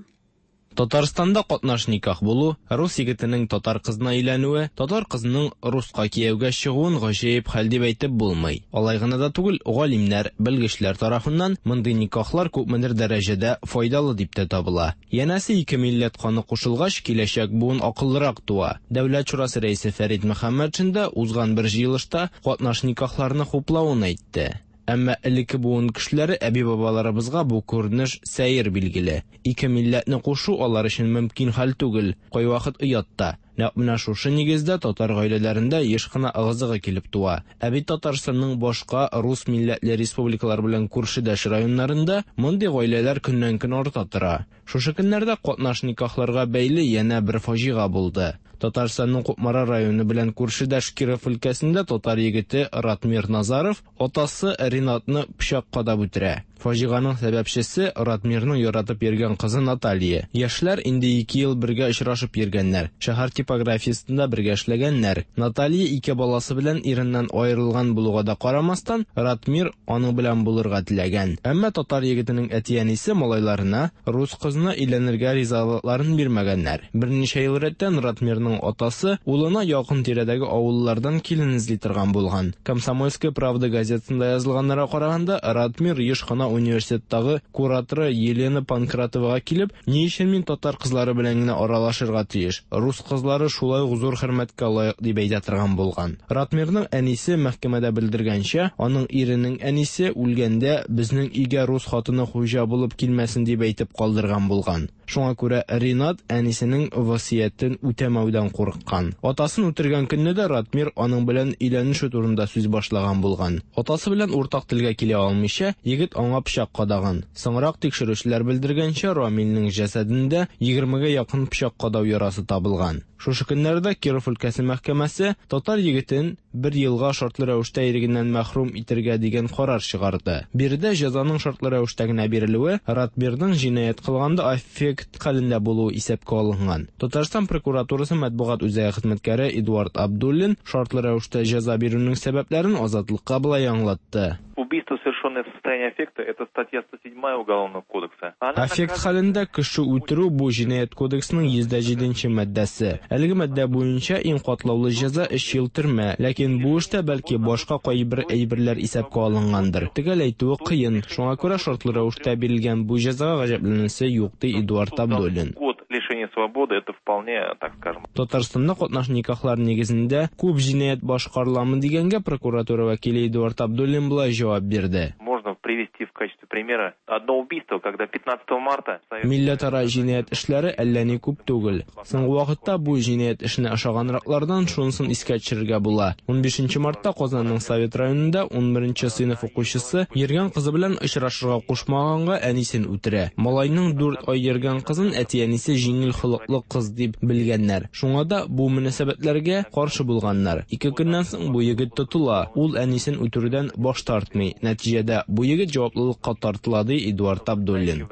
Татарстанда катнаш никах булу, рус егетенең татар кызына өйләнүе, татар кызының руска кияүгә чыгуын гаҗәеп хәл дип әйтеп булмый. Алай гына да түгел, галимнәр, белгечләр тарафыннан мондый никахлар күпмедер дәрәҗәдә файдалы дип тә табыла. Янәсе, ике милләт каны кушылгач, киләчәк буын акыллырак туа. Дәүләт шурасы рәисе Фәрит Мөхәммәтшин да узган бер җыелышта катнаш никахларны хуплавын әйтте. Әмма элекке буын кешеләре әби-бабаларыбызга бу күренеш сәер билгеле. Ике милләтне кушу алар өчен мөмкин хәл түгел, кайвакыт оят та. Нәкъ менә шушы нигездә татар гаиләләрендә еш кына ыгы-зыгы килеп туа. Ә бит Татарстанның башка рус милләтле республикалар белән күршедәш районнарында мондый гаиләләр көннән-көн арта тора. Шушы көннәрдә катнаш никахларга бәйле янә бер фаҗига булды. Татарстанның Кукмара районы белән күршедәш Киров өлкәсендә татар егете Ратмир Назаров атасы Ринатны пычак кадап үтерә. Фаҗиганың сәбәпчесе, Ратмирның яратып йөргән кызы Наталья. Яшьләр инде ике ел бергә очрашып йөргәннәр, шәһәр типографиясендә бергә эшләгәннәр. Наталья ике баласы белән иреннән аерылган булуга да карамастан, Ратмир аның белән булырга теләгән. Әмма татар егетенең әти-әнисе малайларына рус кызына өйләнергә ризалыкларын бирмәгәннәр. Берничә ел рәттән Ратмирның атасы улына якын-тирәдәге авыллардан килен эзли торган булган. Комсомольская правда газетасында язылганнарга караганда, Ратмир еш кына университеттагы кураторы Елена Панкратовага килеп, Ни өчен мин татар кызлары белән генә аралашырга тиеш? Рус кызлары шулай ук зур хөрмәткә лаек, дип әйтә торган булган. Ратмирның әнисе мәхкәмәдә белдергәнчә, аның иренең әнисе үлгәндә безнең өйгә рус хатыны хуҗа булып килмәсен дип әйтеп калдырган булган. Шуңа күрә Ринат әнисенең васыятен үтәмәүдән курыккан. Атасын үтергән көнне дә Ратмир аның белән өйләнешү турында сүз башлаган булган. Атасы белән уртак телгә килә алмыйча, егет аңа пычак кадаган. Соңрак тикшерүчеләр белдергәнчә, Рамилнең җәсәдендә егермегә якын пычак кадау ярасы табылган. Шушы көннәрдә Киров өлкәсе мәхкәмәсе татар егетен бер елга шартлы рәвештә ирегеннән мәхрүм итергә дигән карар чыгарды. Биредә җәзаның шартлы рәвештә генә бирелүе Ратмирның җинаять кылганда аффект хәлендә булуы исәпкә алынган. Татарстан прокуратурасы матбугат үзәге хезмәткәре Эдуард Абдуллин шартлы рәвештә җәза бирүнең сәбәпләрен Азатлыкка болай аңлатты. Убийство, совершенное в состоянии аффекта, это статья 107 Уголовного кодекса. Аффект хәлендә кеше үтерү, бу Җинаять кодексының 107 нче маддәсе. Әлеге маддә буенча иң катлаулы җәза өч ел төрмә. Ләкин бу эштә, бәлки, башка кайбер әйберләр исәпкә алынгандыр. Төгәл әйтүе кыен. Шуңа күрә шартлы рәвештә бирелгән бу җәзага гаҗәпләнәсе юк, ди Эдуард Абдуллин. Год лишения свободы, это вполне, так скажем. Татарстанда катнаш никахлар нигезендә күп җинаять башкарыламы дигәнгә прокуратура вәкиле Эдуард Абдуллин болай җавап бирде. Можно привести в качестве примера одно убийство, когда пятнадцатого марта. Милләтара җинаять эшләре әллә ни күп түгел. Соңгы вакытта бу җинаять эшенә ошаганраклардан шунысын искә төшерергә була. Унбишенче мартта Казанның Совет районында унберенче сыйныф укучысы йөргән кызы белән очрашырга кушмаганга әнисен үтерә. Малайның дүрт ай йөргән кызын әти-әнисе җиңел холыклы кыз дип белгәннәр. Шуңа да бу мөнәсәбәтләргә каршы булганнар. Ике көннән соң бу егет тотыла. Ул әнисен үтерүдән баш тартмый. Нәтиҗәдә, бу егет җаваплылыкка тартыла, ди Эдуард Абдуллин.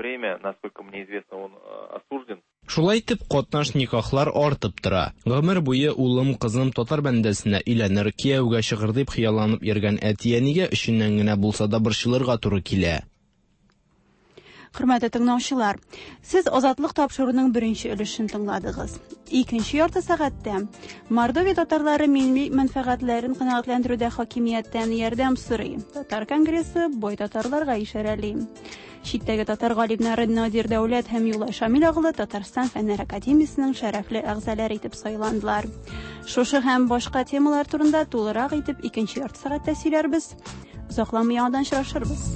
Шулай итеп, катнаш никахлар артып тора. Гомер буе улым, кызым татар бәндәсенә өйләнер, кияүгә чыгыр дип хыялланып йөргән әти-әнигә эченнән генә булса да борчылырга туры килә. Хөрмәтле тыңлаучылар, сез Азатлык тапшыруының беренче өлешен тыңладыгыз. Икенче ярты сәгатьтә Мордовия татарлары милли мәнфәгатьләрен канәгатьләндерүдә хакимияттән ярдәм сорый. Татар конгрессы бай татарларга ишарәли. Читтәге татар галимнәре Надир Дәүләт һәм Юлай Шамил оглы Татарстан Фәннәр академиясенең шәрәфле әгъзалары итеп сайландылар. Шушы һәм башка темалар турында тулырак итеп икенче ярты сәгатьтә сөйләрбез. Озакламый яңадан очрашырбыз.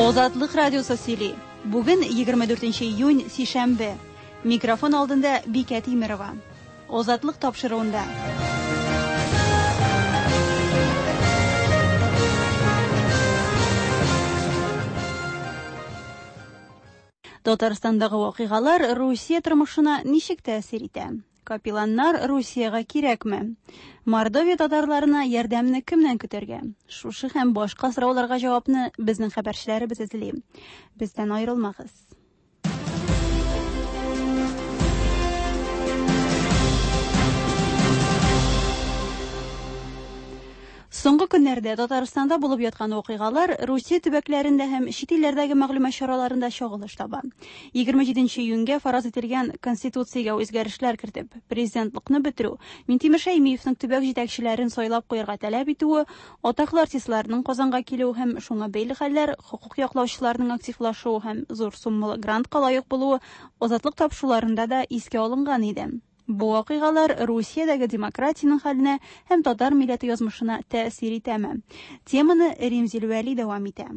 Азатлык радиосы сөйли. Бүген 24 июнь, сишәмбе. Микрофон алдында Бикә Тимерова. Азатлык тапшыруында. Татарстандагы вакыйгалар Русия тормышына ничек тәэсир итә? Капелланнар Русиягә кирәкме? Мордовия татарларына ярдәмне кемнән көтәргә? Шушы һәм башка сорауларга җавапны безнең хәбәрчеләребез эзли. Бездән аерылмагыз. Соңгы көннәрдә Татарстанда булып яткан вакыйгалар Русия төбәкләрендә һәм чит илләрдәге мәгълүмат чараларында чагылыш таба. 27 июньгә фараз ителгән Конституциягә үзгәрешләр кертеп, президентлыкны бетерү, Минтимер Шәймиевның төбәк җитәкчеләрен сайлап куярга таләп итүе, атаклы артистларның Казанга килүе һәм шуңа бәйле хәлләр, хокук яклаучыларның активлашуы һәм зур суммалы грантка лаек булуы Азатлык тапшыруларында да искә алынган иде. Бу вакыйгалар Русиядәге демократиянең хәленә һәм татар милләте язмышына тәэсир итәме? Теманы Римзил Вәли дәвам итә.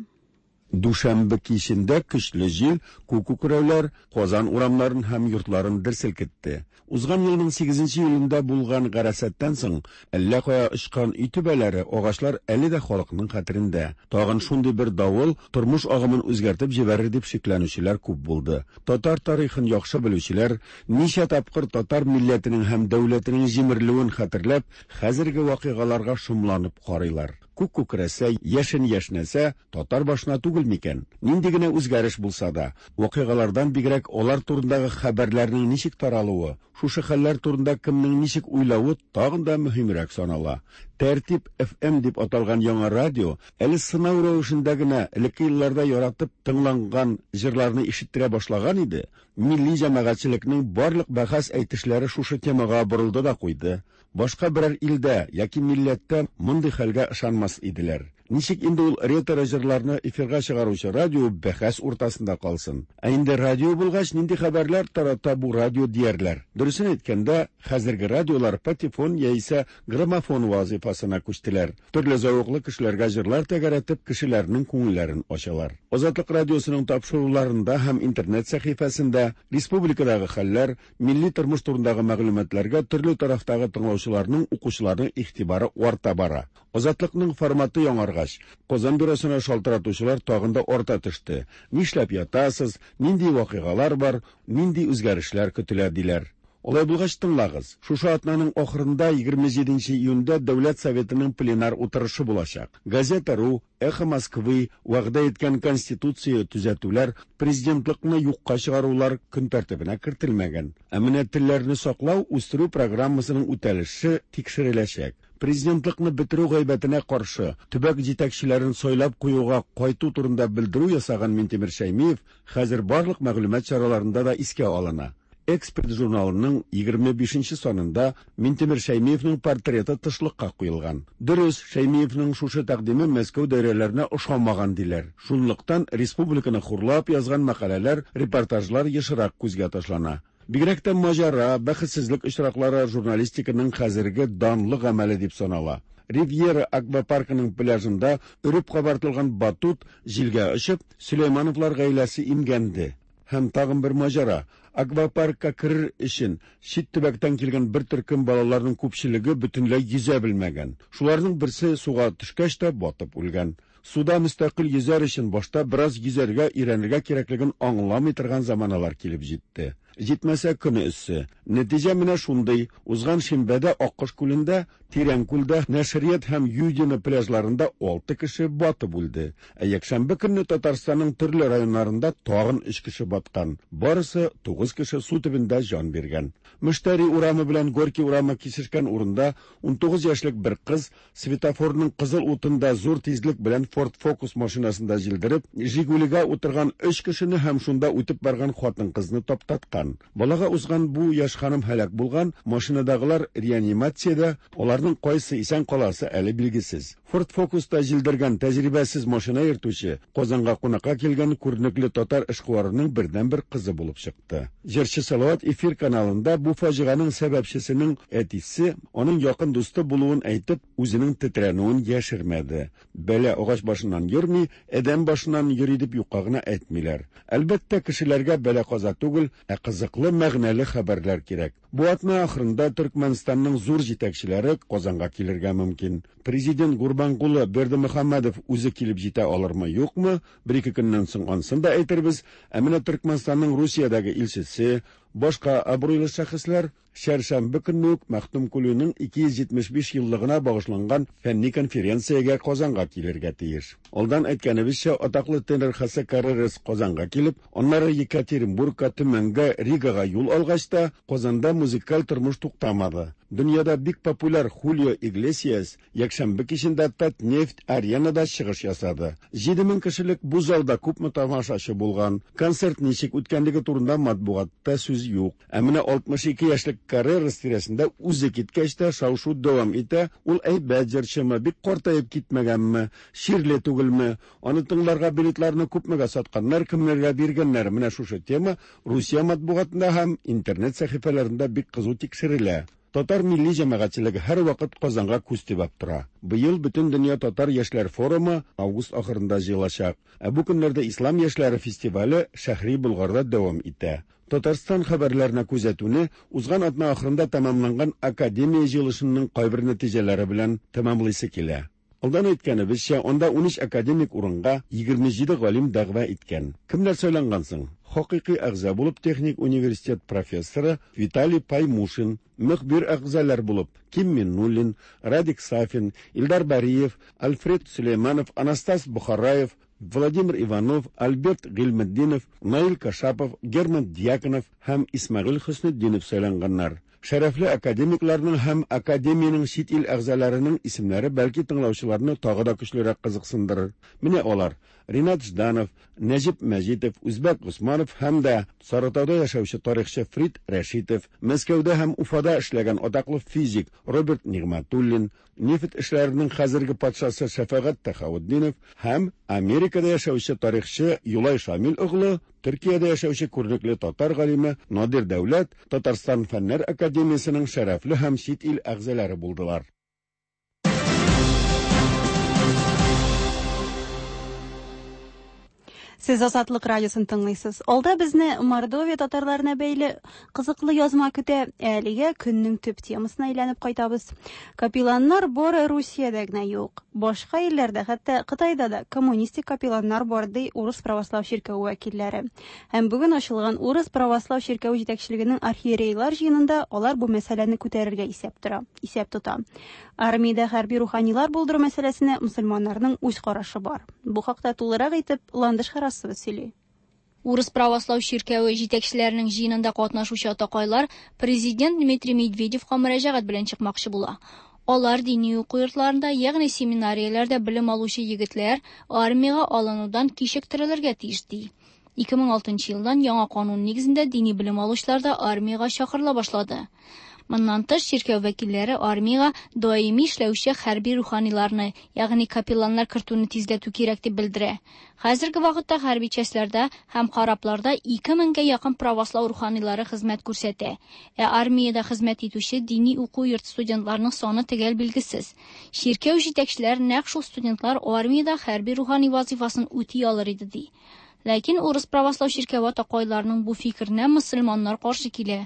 Дүшәмбе кичендә көчле җил, күк күкрәүләр Казан урамнарын һәм йортларын дер селкетте. Узган елның сигезенче июлендә булган гарасаттан соң әллә кая очкан өй түбәләре, агачлар әле дә халыкның хәтерендә. Тагын шундый бер давыл тормыш агымын үзгәртеп җибәрер дип шикләнүчеләр күп булды. Татар тарихын яхшы белүчеләр, ничә тапкыр татар милләтенең һәм дәүләтенең җимерелүен хәтерләп, хәзерге вакыйгаларга шомланып карыйлар. Күк күкрәсә, яшен яшьнәсә, татар башына түгел микән? Нинди генә үзгәреш булса да, вакыйгалардан бигрәк алар турындагы хәбәрләрнең ничек таралуы, шушы хәлләр турында кемнең ничек уйлавы тагын да мөһимрәк санала. Тәртип FM дип аталган яңа радио әле сынау рәвешендә генә элекке елларда яратып тыңланган җырларны ишеттерә башлаган иде, милли җәмәгатьчелекнең барлык бәхәс әйтешләре шушы темага борылды да куйды. Башка берәр илдә яки милләттә мондый хәлгә ышанмас иделәр. Ничек инде ул ретро җырларны эфирга чыгаручы радио бәхәс уртасында калсын? Ә инде радио булгач, нинди хәбәрләр тарата бу радио диярләр. Дөресен әйткәндә, хәзерге радиолар патефон яисә граммофон вазыйфасына күчтеләр. Төрле зәвыклы кешеләргә җырлар тәгәрәтеп, кешеләрнең күңелләрен ачалар. Азатлык радиосының тапшыруларында һәм интернет сәхифәсендә республикадагы хәлләр, милли тормыш турындагы мәгълүматларга төрле тарафтагы тыңлаучыларның, укучыларның игътибары арта бара. Азатлыкның форматы яңаргач, Казан бюросына шалтыратучылар тагын да арта төште. Нишләп ятасыз, нинди вакыйгалар бар, нинди үзгәрешләр көтелә, диләр. Алай булгач тыңлагыз. Шушы атнаның ахырында 27 июньдә Дәүләт Советының пленар утырышы булачак. Газета.ру, Эхо Москвы вәгъдә иткән Конституция төзәтүләр, президентлыкны юкка чыгарулар көн тәртибенә кертелмәгән. Ә менә телләрне саклау, үстерү программасының үтәлеше тикшереләчәк. Президентлыкны бетерү гайбәтенә каршы төбәк җитәкчеләрен сайлап куюга кайту турында белдерү ясаган Минтимер Шәймиев хәзер барлык мәгълүмат чараларында да искә алына. Эксперт журналының 25 нче санында Минтимер Шәймиевнең портреты тышлыкка куелган. Дөрес, Шәймиевнең шушы тәкъдиме Мәскәү даирәләренә ошамаган диләр. Шунлыктан республиканы хурлап язган мәкаләләр, репортажлар ешрак күзгә ташлана. Бигрәк тә маҗара, бәхетсезлек очраклары журналистиканың хәзерге данлы гамәле дип санала. Ривьера аквапаркының пляжында өреп кабартылган батут җилгә очып, Сөләймановлар гаиләсе имгәнде. Һәм тагын бер маҗара. Аквапаркка керер өчен чит төбәктән килгән бер төркем балаларның күпчелеге бөтенләй йөзә белмәгән. Шуларның берсе суга төшкәч тә батып үлгән. Суда мөстәкыйль йөзәр өчен башта бераз йөзәргә өйрәнергә кирәклеген аңламый торган заманалар килеп җитте. Җитмәсә, көне эссе. Нәтиҗә менә шундый, узган шимбәдә Аккош күлендә, Тирән күлдә, Нәшрият һәм Юдино пляжларында алты кеше батып үлде. Ә якшәмбе көнне Татарстанның төрле районнарында тагын өч кеше баткан. Барысы тугыз кеше су төбендә җан биргән. Мөштәри урамы белән Горький урамы кисешкән урында 19 яшьлек бер кыз светофорның кызыл утында зур тизлек белән Ford Focus машинасында җилдереп, Жигулига утырган өч кешене һәм шунда үтеп барган хатын-кызны таптаткан. Балага узган бу яшь ханым һәлак булган, машинадагылар реанимациядә, аларның кайсы исән каласы әле билгесез. Ford Focus-та җилдергән тәҗрибәсез машина йөртүче Казанга кунакка килгән күренекле татар эшкуарының бердәнбер кызы булып чыкты. Җырчы Салават эфир каналында бу фаҗиганең сәбәпчесенең әтисе, аның якын дусты булуын әйтеп, үзенең тетрәнүен яшермәде. Бәла агач башыннан йөрми, адәм башыннан йөри дип юкка гына әйтмиләр. Әлбәттә, кешеләргә бәла-каза түгел, ә кызыклы, мәгънәле хәбәрләр кирәк. Бу атна ахырында Төркмәнстанның зур җитәкчеләре Казанга килергә мөмкин. Президент Гурбанкулы Бердымөхәммәдов үзе килеп җитә алырмы, юкмы, бер-ике көннән соң ансын да әйтербез. Ә менә Төркмәнстанның Русиядәге илчесе, башка абруйлы шәхесләр Чәршәмбе көнне үк Мәхтүмкүлинең 275 еллыгына багышланган фәнни конференциягә Казанга килергә тиеш. Алдан әйткәнебезчә, атаклы тенор Хосе Каррерас Казанга килеп, аннары Екатеринбургка, Төмәнгә, Ригага юл алгач та, Казанда музыкаль тормыш туктамады. Дөньяда бик популяр Хулио Иглесиас якшәмбе кичендә Татнефть Аренада чыгыш ясады. 7000 кешелек бу залда күпме тамашачы булган, концерт ничек үткәнлеге турында матбугатта сүз юк. Ә менә 62 яшьлек Каррерас тирәсендә үзе киткәч тә шау-шу дәвам итә, ул әйбәт җырчымы, бик картаеп китмәгәнме, чирле түгелме, аны тыңларга билетларны күпмегә сатканнар, кемнәргә биргәннәр, менә шушы тема Русия матбугатында һәм интернет сәхифәләрендә бик кызу тикшерелә. Татар милли җәмәгатьчелеге һәрвакыт Казанга күз төбәп тора. Быел Бөтендөнья татар яшьләр форумы август ахырында җыелачак. Ә бу көннәрдә Ислам яшьләре фестивале Шәһри Болгарда дәвам итә. Татарстан хәбәрләренә күзәтүне узган атна ахырында тәмамланган академия җыелышының кайбер нәтиҗәләре белән тәмамлыйсы килә. Алдан әйткәнебезчә, анда 13 академик урынга 27 галим дәгъва иткән. Кемнәр сайланган соң? Хакыйкый әгъза булып техник университет профессоры Виталий Паймушин, мөхбир әгъзалар булып Ким Миннуллин, Радик Сафин, Илдар Бариев, Альфред Сөләйманов, Анастас Бухараев, Владимир Иванов, Альберт Гыйльметдинов, Наил Кашапов, Герман Дьяконов һәм Исмәгыйль Хөснетдинов сайланганнар. Шәрәфле академикларның һәм академиянең чит ил әгъзаларының исемнәре бәлки тыңлаучыларны тагы да көчлерәк кызыксындырыр. Менә алар: Ринат Жданов, Нәҗип Мәҗитов, Үзбәк Госманов һәм дә Сарытауда яшәүче тарихчы Фрид Рәшитов, Мәскәүдә һәм Уфада эшләгән атаклы физик Роберт Нигъмәтуллин, нефть эшләренең хәзерге патшасы Шәфәгать Тәхаутдинов һәм Америкада яшәүче тарихчы Юлай Шамил оглы, Төркиядә яшәүче күренекле татар галиме Надир Дәүләт Татарстан Фәннәр академиясенең шәрәфле һәм чит ил әгъзалары булдылар. Сез Азатлык радиосын тыңлыйсыз. Алда безне Мордовия татарларына бәйле кызыклы язма көтә. Әлегә көннең төп темасына әйләнеп кайтабыз. Капелланнар бары Русиядә генә юк. Башка илләрдә, хәтта Кытайда да коммунистик капелланнар бар, ди Урыс православ чиркәве вәкилләре. Һәм бүген ачылган Урыс православ чиркәве җитәкчелегенең архиерейлар җыенында алар бу мәсьәләне күтәрергә исәп тора, исәп тота. Армиядә хәрби руханилар булдыру мәсьәләсенә мөселманнарның үз карашы бар. Бу хакта тулырак итеп Ландыш Харасова сөйли. Урыс православ чиркәве җитәкчеләренең җыенында катнашучы атакайлар президент Дмитрий Медведевка мөрәҗәгать белән чыкмакчы була. Алар дини уку йортларында, ягъни семинарияләрдә белем алучы егетләр армиягә алынудан кичектерелергә тиеш ди. 2006 елдан яңа канун нигезендә дини белем алучылар да армиягә чакырыла башлады. Моннан тыш, чиркәү вәкилләре армиягә даими эшләүче хәрби руханиларны, ягъни капелланнар кертүне тизләтү кирәк дип белдерә. Хәзерге вакытта хәрби частьләрдә һәм корабларда 2000 гә якын правослау руханилары хезмәт күрсәтә. Ә армиядә хезмәт итүче дини уку йорты студентларының саны төгәл билгесез. Чиркәү җитәкчеләре нәкъ шул студентлар армиядә хәрби рухани вазифасын үти алыр иде ди. Ләкин урыс православ чиркәве атакайларының бу фикеренә мөселманнар каршы килә.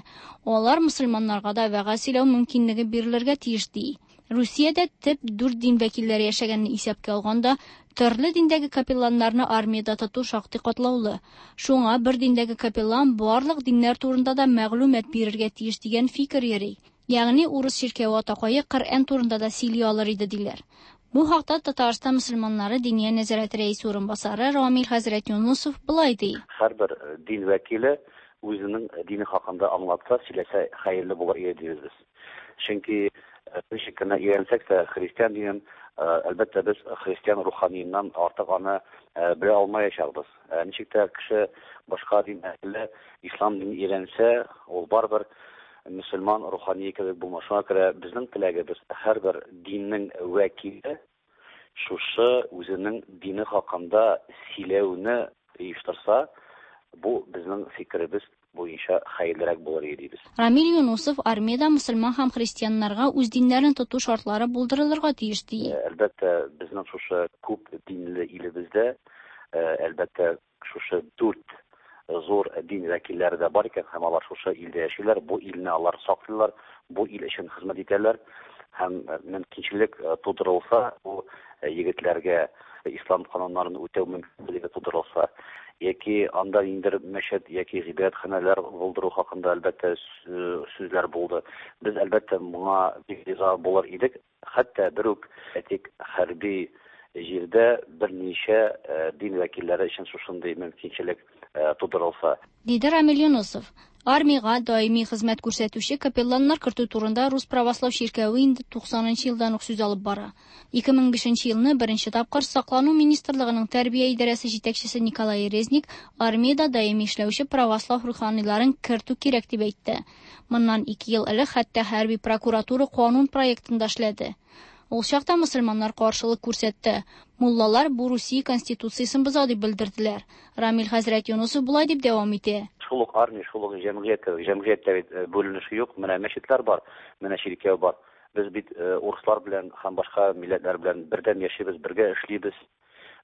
Алар мөселманнарга да вәгазь сөйләү мөмкинлеге бирелергә тиеш ди. Русиядә төп дүрт дин вәкилләре яшәгәнне исәпкә алганда, төрле диндәге капелланнарны армиядә тоту шактый катлаулы. Шуңа бер диндәге капеллан барлык диннәр турында да мәгълүмат бирергә тиеш дигән фикер йөри. Ягъни урыс чиркәве атакае Коръән турында да сөйли алыр иде диләр. Бу хакта Татарстан мөселманнары Диния нәзарәте рәисе урынбасары Рамил хәзрәт Юнусов болай ди. Һәрбер дин вәкиле үзенең дине хакында аңлатса, сөйләсә хәерле булыр иде дибез без. Чөнки ничек кенә өйрәнсәк тә христиан динен, әлбәттә, без христиан руханиеннан артык аны белә алмаячакбыз. Ничек тә кеше башка дин әһеле ислам динен өйрәнсә, ул барыбер мөселман рухание кебек булмас. Шуңа күрә безнең теләгебез һәрбер диннең вәкиле шушы үзенең дине хакында сөйләүне оештырса, бу безнең фикеребез буенча хәерлерәк булыр иде дибез. Рамил Юнусов армиядә мөселман һәм христианнарга үз диннәрен тоту шартлары булдырылырга тиеш ди. Әлбәттә, безнең шушы күп динле илебездә, әлбәттә, шушы дүрт зур дин вәкилләре дә бар икән һәм алар шушы илдә яшиләр, бу илне алар саклыйлар, бу ил өчен хезмәт итәләр һәм мөмкинчелек тудырылса, бу егетләргә ислам кануннарын үтәү мөмкинлеге тудырылса, яки анда ниндидер мәчет яки гыйбадәтханәләр булдыру хакында, әлбәттә, сүзләр булды. Без, әлбәттә, моңа бик риза булыр идек. Хәтта бер үк, әйтик, хәрби җирдә берничә дин вәкилләре өчен шушындый мөмкинчелек тудырылса. Диде Рамил Юнысов. Армиягә даими хезмәт күрсәтүче капелланнар кертү турында Рус правослау чиркәве инде 90 нчы елдан ук сүз алып бара. 2005 нче елны беренче тапкыр Саклану министрлыгының тәрбия идарәсе җитәкчесе Николай Резник армиядә даими эшләүче православ руханиларын кертү кирәк дип әйтте. Моннан ике ел элек хәтта хәрби прокуратура канун проектын да эшләде. Ул чакта мөселманнар каршылык күрсәтте. Муллалар бу Русия Конституциясен боза дип белдерделәр. Рамил хәзрәт Юнысов болай дип дәвам итә. Шул ук армия, шул ук җәмгыять кебек. Җәмгыятьтә бит бүленеш юк. Менә мәчетләр бар, менә чиркәү бар. Без бит урыслар белән һәм башка милләтләр белән бердәм яшибез, бергә эшлибез.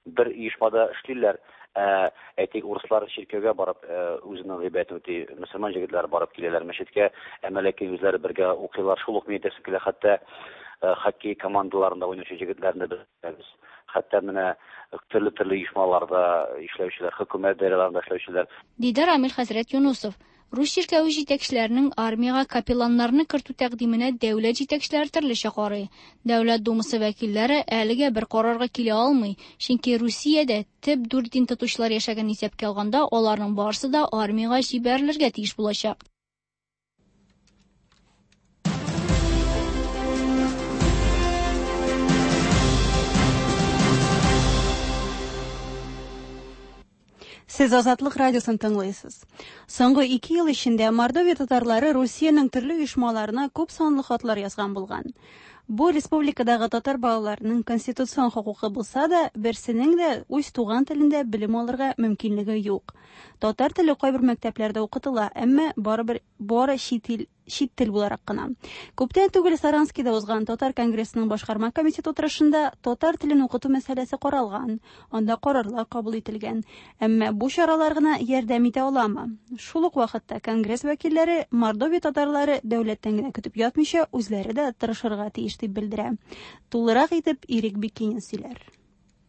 Бер оешмада эшлиләр. Ә, әйтик, урыслар чиркәүгә барып үзенең гыйбадәтен үти, мөселман җегетләре барып киләләр мәчеткә, әмма ләкин үзләре бергә укыйлар. Шул ук мин әйтәсем килә, хәтта хоккей командаларында уйнаучы җегетләрне без беләбез. Хәтта менә төрле-төрле оешмаларда эшләүчеләр, хөкүмәт даирәләрендә эшләүчеләр. Диде Рамил хәзрәт Юнусов. Рус чиркәве җитәкчеләренең армиягә капелланнарны кертү тәкъдименә дәүләт җитәкчеләре төрлечә карый. Дәүләт Думасы вәкилләре әлегә бер карарга килә алмый, чөнки Русиядә төп дүрт дин тотучылар яшәгәнен исәпкә алганда, аларның барысы да армиягә җибәрелергә тиеш булачак. Сез Азатлык радиосын тыңлыйсыз. Соңгы ике ел эчендә Мордовия татарлары Русиянең төрле оешмаларына күп санлы хатлар язган булган. Бу республикадагы татар балаларының конституцион хокукы булса да, берсенең дә үз туган телендә белем алырга мөмкинлеге юк. Татар теле кайбер мәктәпләрдә укытыла, әмма барыбер бары чит ил чит тел буларак кына. Күптән түгел Саранскида узган Татар конгрессының башкарма комитеты утырышында татар телен укыту мәсьәләсе каралган, анда карарлар кабул ителгән. Әмма бу чаралар гына ярдәм итә аламы? Шул ук вакытта конгресс вәкилләре Мордовия татарлары дәүләттән генә көтеп ятмыйча, үзләре дә тырышырга тиеш дип белдерә. Тулырак итеп Ирек Бикинин сөйләр.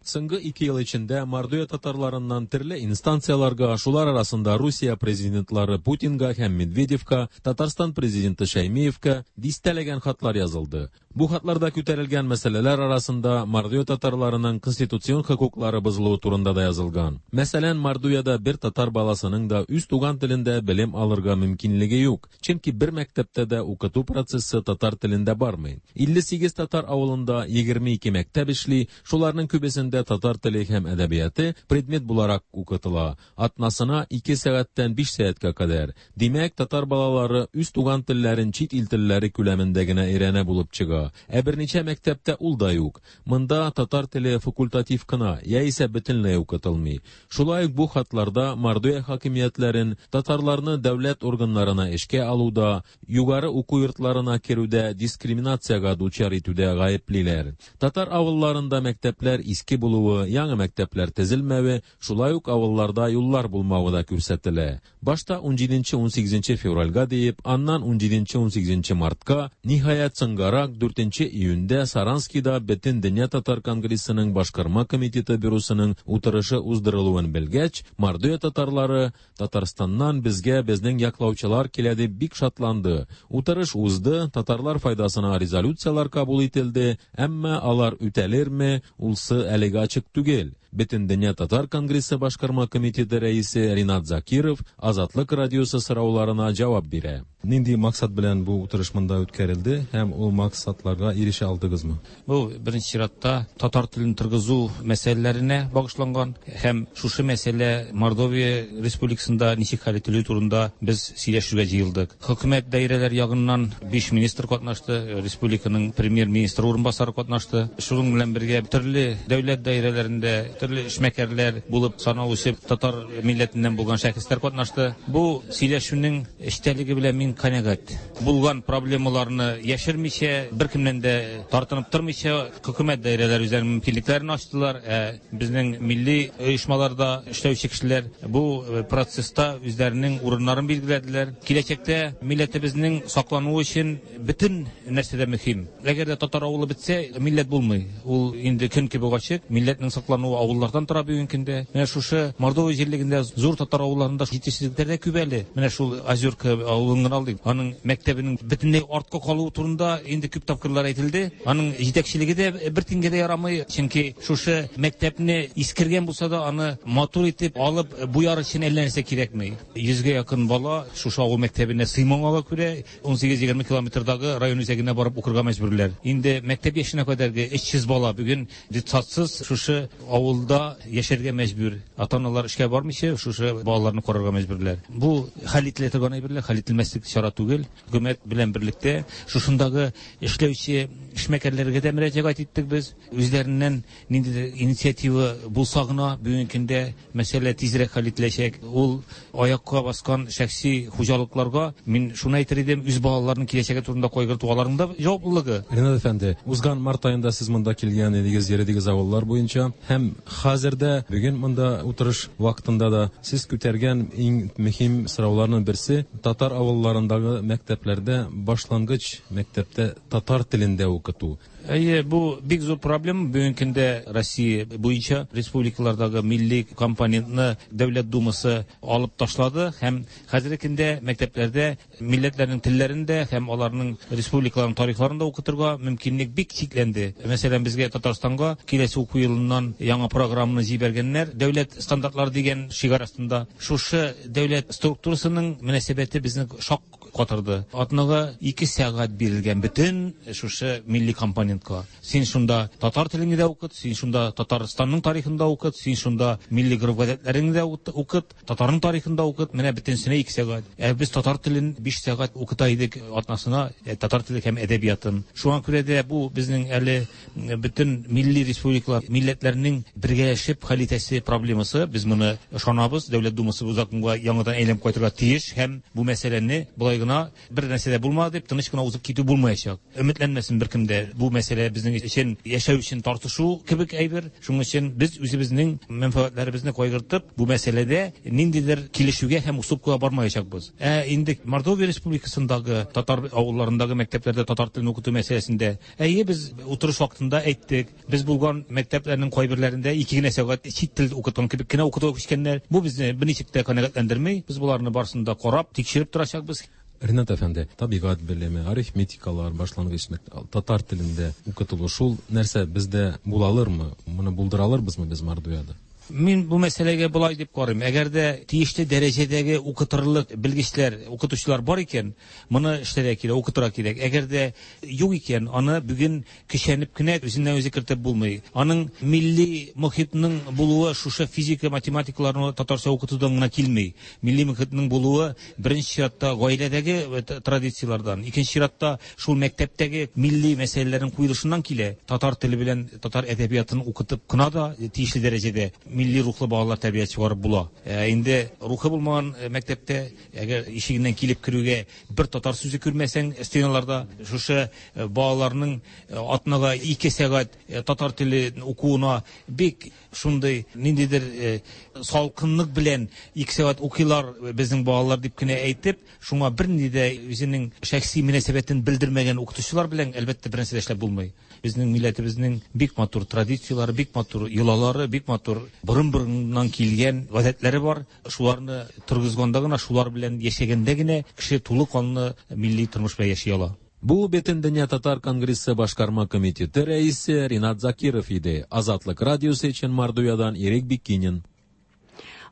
Соңгы ике ел эчендә Мордовия татарларыннан төрле инстанцияләргә, шулар арасында Русия президентлары Путинга һәм Медведевка, Татарстан президенты Шәймиевка дистәләгән хатлар язылды. Бу хатларда күтәрелгән мәсьәләләр арасында Мордовия татарларының конституцион хокуклары бозылуы турында да язылган. Мәсәлән, Мордовиядә бер татар баласының да үз туган телендә белем алырга мөмкинлеге юк, чөнки бер мәктәптә дә укыту процессы татар телендә бармый. 58 татар авылында 22 мәктәп эшли, Шуларның күбесендә татар теле һәм әдәбияты предмет буларак укытыла, атнасына ике сәгатьтән биш сәгатькә кадәр. Димәк, татар балалары үз туган телләрен чит ил телләре күләмендә генә өйрәнә булып чыга. Ә берничә мәктәптә ул да юк. Монда татар теле факультатив кына, яисә бөтенләй укытылмый. Шулай ук бу хатларда Мордовия хакимиятләрен татарларны дәүләт органнарына эшкә алуда, югары уку йортларына керүдә дискриминациягә дучар итүдә гаеплиләр. Татар авылларында мәктәпләр иске булуы, яңа мәктәпләр төзелмәве, шулай ук авылларда юллар булмавы да күрсәтелә. Башта унҗиденче-унсигезенче февральгә диеп, аннан унҗиденче-унсигезенче мартка, ниһаять, соңгарак, дүртенче июньдә Саранскида Бөтендөнья татар конгрессының Башкарма комитеты бюросының утырышы уздырылуын белгәч, Мордовия татарлары Татарстаннан безгә безнең яклаучылар килә дип бик шатланды. Утырыш узды, татарлар файдасына резолюцияләр кабул ителде, әмма алар үтәлерме, улсы әлегә ачык түгел. Бөтендөнья татар конгрессы башкарма комитеты рәисе Ринат Закиров Азатлык радиосы сорауларына җавап бирә. Нинди максат белән бу утырыш монда үткәрелде һәм ул максатларга ирешә алдыгызмы? Бу, беренче чиратта, татар телен торгызу мәсьәләләренә багышланган һәм шушы мәсьәлә Мордовия Республикасында ничек хәл ителүе турында без сөйләшергә җыелдык. Хөкүмәт даирәләре ягыннан биш министр катнашты, республиканың премьер-министры урынбасары катнашты. Шуның белән бергә төрле дәүләт даирәләрендә, төрле эшмәкәрләр булып саналучы татар милләтеннән булган шәхесләр катнашты. Бу сөйләшүнең эчтәлеге белән мин канәгать. Булган проблемаларны яшермичә, беркемнән дә тартынып тормыйча, хөкүмәт даирәләре үзләренең мөмкинлекләрен ачтылар, ә безнең милли оешмаларда эшләүче кешеләр бу процесста үзләренең урыннарын билгеләделәр. Киләчәктә милләтебезнең саклануы өчен бөтен нәрсә дә мөһим. Әгәр дә татар авылы бетсә, милләт булмый. Ул инде көн кебек ачык. Милләтнең саклануы авыллардан тора бүгенге көндә. Менә шушы Мордовия җирлегендә зур татар авылларында җитешсезлекләр дә күп әле. Менә шул Озерка авылын гына алыйк. Аның мәктәбенең бөтенләй артка калуы турында инде күп тапкырлар әйтелде. Аның җитәкчелеге дә бер тиенгә дә ярамый, чөнки шушы мәктәпне искергән булса да, аны матур итеп алып буяр өчен әллә нәрсә кирәкми. Йөзгә якын бала шушы авыл мәктәбенә сыймамага күрә, 18-20 километрдагы район үзәгенә барып укырга мәҗбүрләр. Инде мәктәп яшенә кадәрге 300 бала бүген детсадсыз шушы авылда яшәргә мәҗбүр. Ата-аналар эшкә бармыйча шушы балаларны карарга мәҗбүрләр. Бу хәл ителә торган әйберләр, хәл ителмәслек чара түгел. Хөкүмәт белән берлектә шушындагы эшләүче эшмәкәрләргә дә мөрәҗәгать иттек без. Үзләреннән ниндидер инициатива булса гына бүгенге көндә мәсьәлә тизрәк хәл ителәчәк. Ул аякка баскан шәхси хуҗалыкларга мин шуны әйтер идем, үз балаларының киләчәге турында кайгырту аларның да җаваплылыгы. Ринат әфәнде, узган март аенда сез монда килгән идегез, йөрдегез авыллар буенча һәм хәзер дә бүген монда утырыш вакытында да сез күтәргән иң мөһим сорауларның берсе, татар авылларындагы мәктәпләрдә башлангыч мәктәптә татар телендә укыту. Әйе, бу бик зур проблема. Бүгенге көндә Россия буенча республикалардагы милли компонентны Дәүләт Думасы алып ташлады һәм хәзерге көндә мәктәпләрдә милләтләрнең телләрен дә һәм аларның республикаларының тарихларын да укытырга мөмкинлек бик чикләнде. Мәсәлән, безгә Татарстанга киләсе уку елыннан яңа программаны җибәргәннәр, дәүләт стандартлары дигән шигарь астында. Шушы дәүләт структурасының мөнәсәбәте безне шак катырды. Атнага 2 сәгать бирелгән бөтен шушы милли компонентка. Син шунда татар телеңне дә укыт, син шунда Татарстанның тарихын да укыт, син шунда милли гореф-гадәтләреңне дә укыт, татарның тарихын да укыт. Менә бөтенесенә 2 сәгать. Ә без татар телен 5 сәгать укыта идек атнасына, татар теле һәм әдәбиятын. Шуңа күрә дә бу безнең әле бөтен милли республикалар, милләтләрнең бергәләшеп хәл итәсе проблемасы. Без моны ышанабыз. Дәүләт Думасы бу законга яңадан әйләнеп кайтырга тиеш һәм бу мәсьәләне болай гына бер нәрсә дә булмады дип тыныч кына узып китү булмаячак. Өметләнмәсен беркем дә. Бу мәсьәлә безнең өчен яшәү өчен тартышу кебек әйбер. Шуның өчен без үзебезнең мәнфәгатьләребезне кайгыртып, бу мәсьәләдә ниндидер килешүгә һәм уступкага бармаячакбыз. Ә инде Мордовия Республикасындагы татар авылларындагы мәктәпләрдә татар телен укыту мәсьәләсендә, әйе, без утырыш вакытында әйттек, без булган мәктәпләрнең кайберләрендә 2 генә сәгать чит тел укыткан кебек кенә укытуга күчкәннәр. Бу безне берничек тә канәгатьләндерми. Без боларны барысын да карап, тикшереп торачакбыз. Ринат әфәнде, табигать белеме, арифметикалар башлангыч татар телендә укытылу, шул нәрсә бездә була алырмы? Моны булдыра алырбызмы без Мордовиядә? Мин бу мәсьәләгә болай дип карыйм. Әгәр дә тиешле дәрәҗәдәге укытырлык белгечләр, укытучылар бар икән, моны эшләргә кирәк, укытырга кирәк. Әгәр дә юк икән, аны бүген көчәнеп кенә үзеннән үзе кертеп булмый. Аның милли мохитның булуы шушы физика, математикаларны татарча укытудан гына килми. Милли мохитның булуы беренче чиратта гаиләдәге традицияләрдән, икенче чиратта шул мәктәптәге милли мәсьәләләрнең куелышыннан килә. Татар теле белән татар әдәбиятын укытып кына да тиешле дәрәҗәдә милли рухлы балалар тәрбия чыгарып була. Инде рухы булмаган мәктәптә, әгәр ишегеннән килеп керүгә бер татар сүзе күрмәсәң, стеналарда шушы балаларның атнага 2 сәгать татар теле укуына бик шундый ниндидер салкынлык белән 2 сәгать укыйлар безнең балалар дип кенә әйтеп, шуңа бернинди дә үзенең шәхси мөнәсәбәтен белдермәгән укытучылар белән әлбәттә бернәрсә дә эшләп булмый. Безнең милләтебезнең бик матур традицияләре, бик матур йолалары, бик матур борын-борыннан килгән гадәтләре бар. Шуларны торгызганда гына, шулар белән яшәгәндә генә кеше тулы канлы милли тормыш белән яши ала. Бу Бөтендөнья татар конгрессы башкарма комитеты рәисе Ринат Закиров иде. Азатлык радиосы өчен Мордовиядан Ирек Бикинин.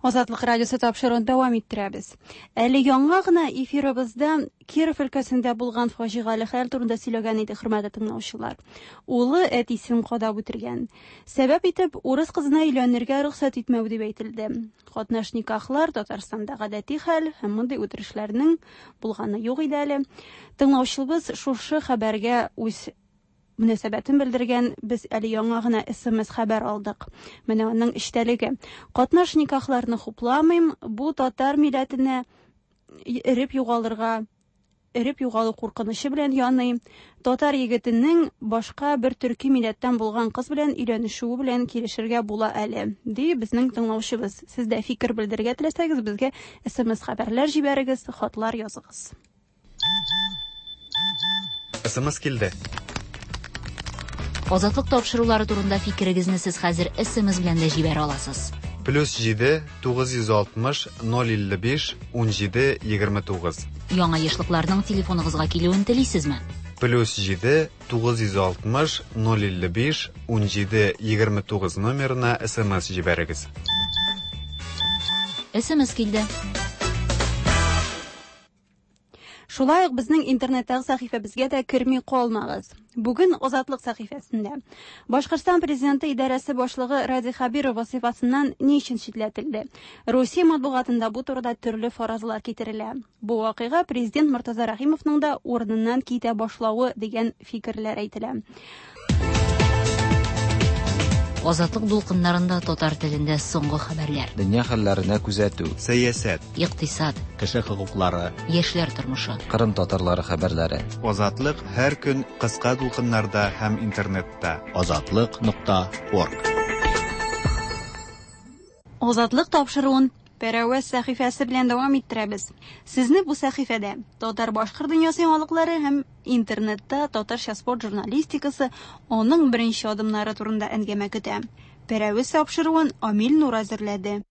Азатлык радиосы тапшыруын дәвам иттерәбез. Әле яңа гына эфирыбызда Киров өлкәсендә булган фаҗигале хәл турында сөйләгән иде, хөрмәтле тыңлаучылар. Улы әтисен кадап үтергән. Сәбәп итеп урыс кызына өйләнергә рөхсәт итмәү дип әйтелде. Катнаш никахлар Татарстанда гадәти хәл һәм мондый үтерешләрнең булганы юк иде әле. Тыңлаучыбыз шушы хәбәргә үз мөнәсәбәтен белдергән без әле яңа гына СМС хәбәр алдык. Менә аның эчтәлеге. Катнаш никахларны хупламыйм, бу татар милләтенә эреп югалырга эреп югалу куркынычы белән яный. Татар егетенең башка бер төрки милләттән булган кыз белән өйләнешүе белән килешергә була әле, ди безнең тыңлаучыбыз. Сез дә фикер белдерергә теләсәгез, безгә СМС хәбәрләр җибәрегез, хатлар языгыз. СМС килде. Азатлык тапшырулары турында фикерегезне сез хәзер СМС белән дә җибәрә аласыз. Плюс 7 960 055 17 29. Яңа ешлыкларның телефоныгызга килүен телисезме? Плюс 7 960 055 17 29 номерына СМС җибәрегез. СМС килде. Шулай ук безнең интернеттагы сәхифәбезгә дә керми калмагыз. Бүген Азатлык сәхифәсендә Башкортстан президенты идарәсе башлыгы Радий Хәбиров вазифасыннан ни өчен читләтелде? Русия матбугатында бу турыда төрле фаразлар китерелә. Бу вакыйга президент Мортаза Рәхимовның да урыныннан китә башлавы дигән фикерләр әйтелә. Азатлык дулкыннарында татар телендә соңгы хәбәрләр. Дөнья хәлләренә күзәтү. Сәясәт. Икътисад. Кеше хокуклары. Яшьләр тормышы. Кырым татарлары хәбәрләре. Азатлык һәр көн кыска дулкыннарда һәм интернетта. Азатлык.орг. Азатлык тапшыруын Пәрәвез сәхифәсе белән дәвам иттерәбез. Сезне бу сәхифәдә татар-башкорт дөньясы яңалыклары һәм интернетта татарча спорт журналистикасы, аның беренче адымнары турында әңгәмә көтә. Пәрәвез тапшыруын Амил Нур әзерләде.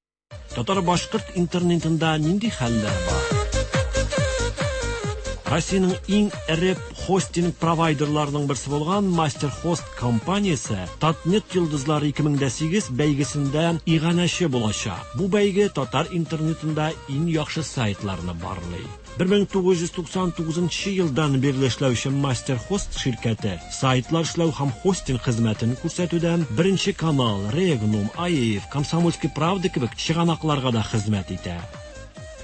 Татар-башкорт интернетында нинди хәлләр бар? Россиянең иң эре хостинг провайдерларының берсе булган MasterHost компаниясе Татнет йолдызлары 2008 бәйгесендә иганәче булачак. Бу бәйге татар интернетында иң яхшы сайтларны барлый. 1999 елдан бирле эшләүче MasterHost ширкәте сайтлар эшләү һәм хостинг хезмәтен күрсәтүдән Беренче канал, Регнум, АИФ, Комсомольский правда кебек чыганакларга да хезмәт итә.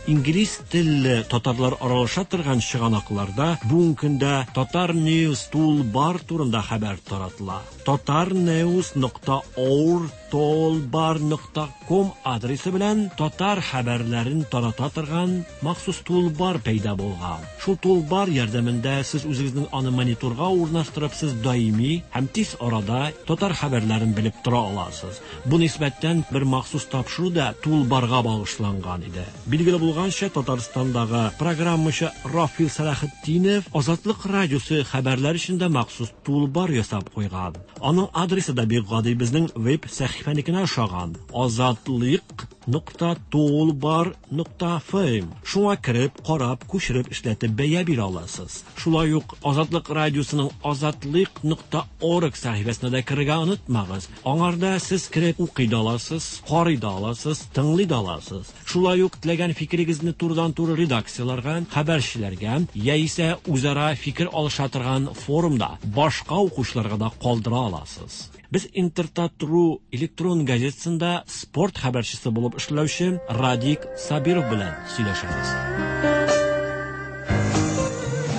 Инглиз телле татарлар аралаша торган чыганакларда бүгенге көндә Татар News Toolbar турында хәбәр таратыла. tatarnews.our.toolbar.com адресы белән татар хәбәрләрен тарата торган махсус toolbar пәйда булган. Шул toolbar ярдәмендә сез үзегезнең аны мониторга урнаштырып, сез даими һәм тиз арада татар хәбәрләрен белеп тора аласыз. Бу нисбәттән бер махсус тапшыру да toolbarга багышланган иде. Билгеле булганча, Татарстандагы программачы Рафил Сәлахетдинов Азатлык радиосы хәбәрләр өчен дә махсус toolbar ясап куйган. Аның адресы да бик гади, безнең веб сәхифәнекенә ошаган. azatliq.toolbar.fm. Шуңа кереп, карап, күчереп эшләтеп бәя бирә аласыз. Шулай ук Азатлык радиосының azatliq.org сәхифәсенә дә керергә онытмагыз. Аңарда сез кереп укый да аласыз, карый да аласыз, тыңлый да аласыз. Шулай ук теләгән фикерегезне турыдан-туры редакцияләргә, хәбәрчеләргә яисә үзара фикер алыша торган форумда башка укучыларга да калдыра аласыз. Без Интертат.ру электрон газетасында спорт хәбәрчесе булып эшләүче Радик Сабиров белән сөйләшәбез.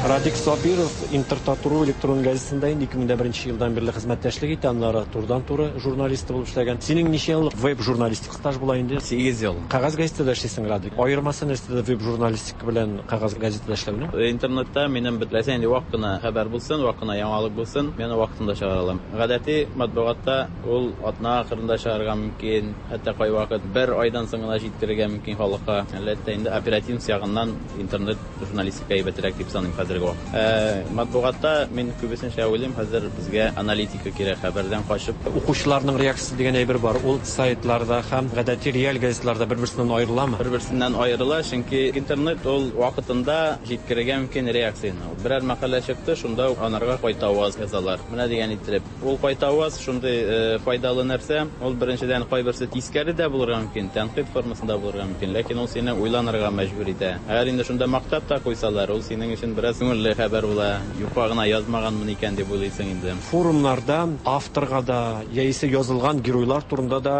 Радик Сабиров Интертат.ру электрон газетасында инде 2001 елдан бирле хезмәттәшлек итә, аннары турыдан-туры журналисты булып эшләгән. Синең ничә еллык веб-журналистик стаж була инде? 8 ел. Кәгазь газетада эшлисең, Радик. Аермасы нәрсәдә веб-журналистика белән кәгазь газетада эшләүнең? Интернетта минем бетләсә инде вак кына хәбәр булсын, вак кына яңалык булсын, мен вакытында чыгара алам. Гадәти матбугатта ул атна ахырында чыгарга мөмкин, хәтта кайвакыт бер айдан соң гына җиткерергә мөмкин халыкка. Әлбәттә инде оперативность ягыннан интернет журналистика әйбәтрәк дип саныйм хәзерге вакытта. Матбугатта мин күбесенчә уйлыйм, хәзер безгә аналитика кирәк, хәбәрдән качып. Укучыларның реакциясе дигән әйбер бар. Ул сайтларда һәм гадәти реаль газетларда бер-берсеннән аерыламы? Бер-берсеннән аерыла, чөнки интернет ул вакытында җиткерергә мөмкин реакцияне. Берәр мәкалә чыкты, шунда ук анарга кайтаваз язалар. Менә дигән иттереп. Ул кайтаваз шундый файдалы нәрсә. Ул беренчедән кайберсе тискәре дә булырга мөмкин, тәнкыйть формасында булырга мөмкин, ләкин ул сине уйланырга мәҗбүр итә. Әгәр инде шунда мактап та куйсалар, ул синең өчен бераз Күңелле хәбәр була. Юкка гына язмаганмын икән дип уйлыйсың инде. Форумнарда авторга да, яисә язылган геройлар турында да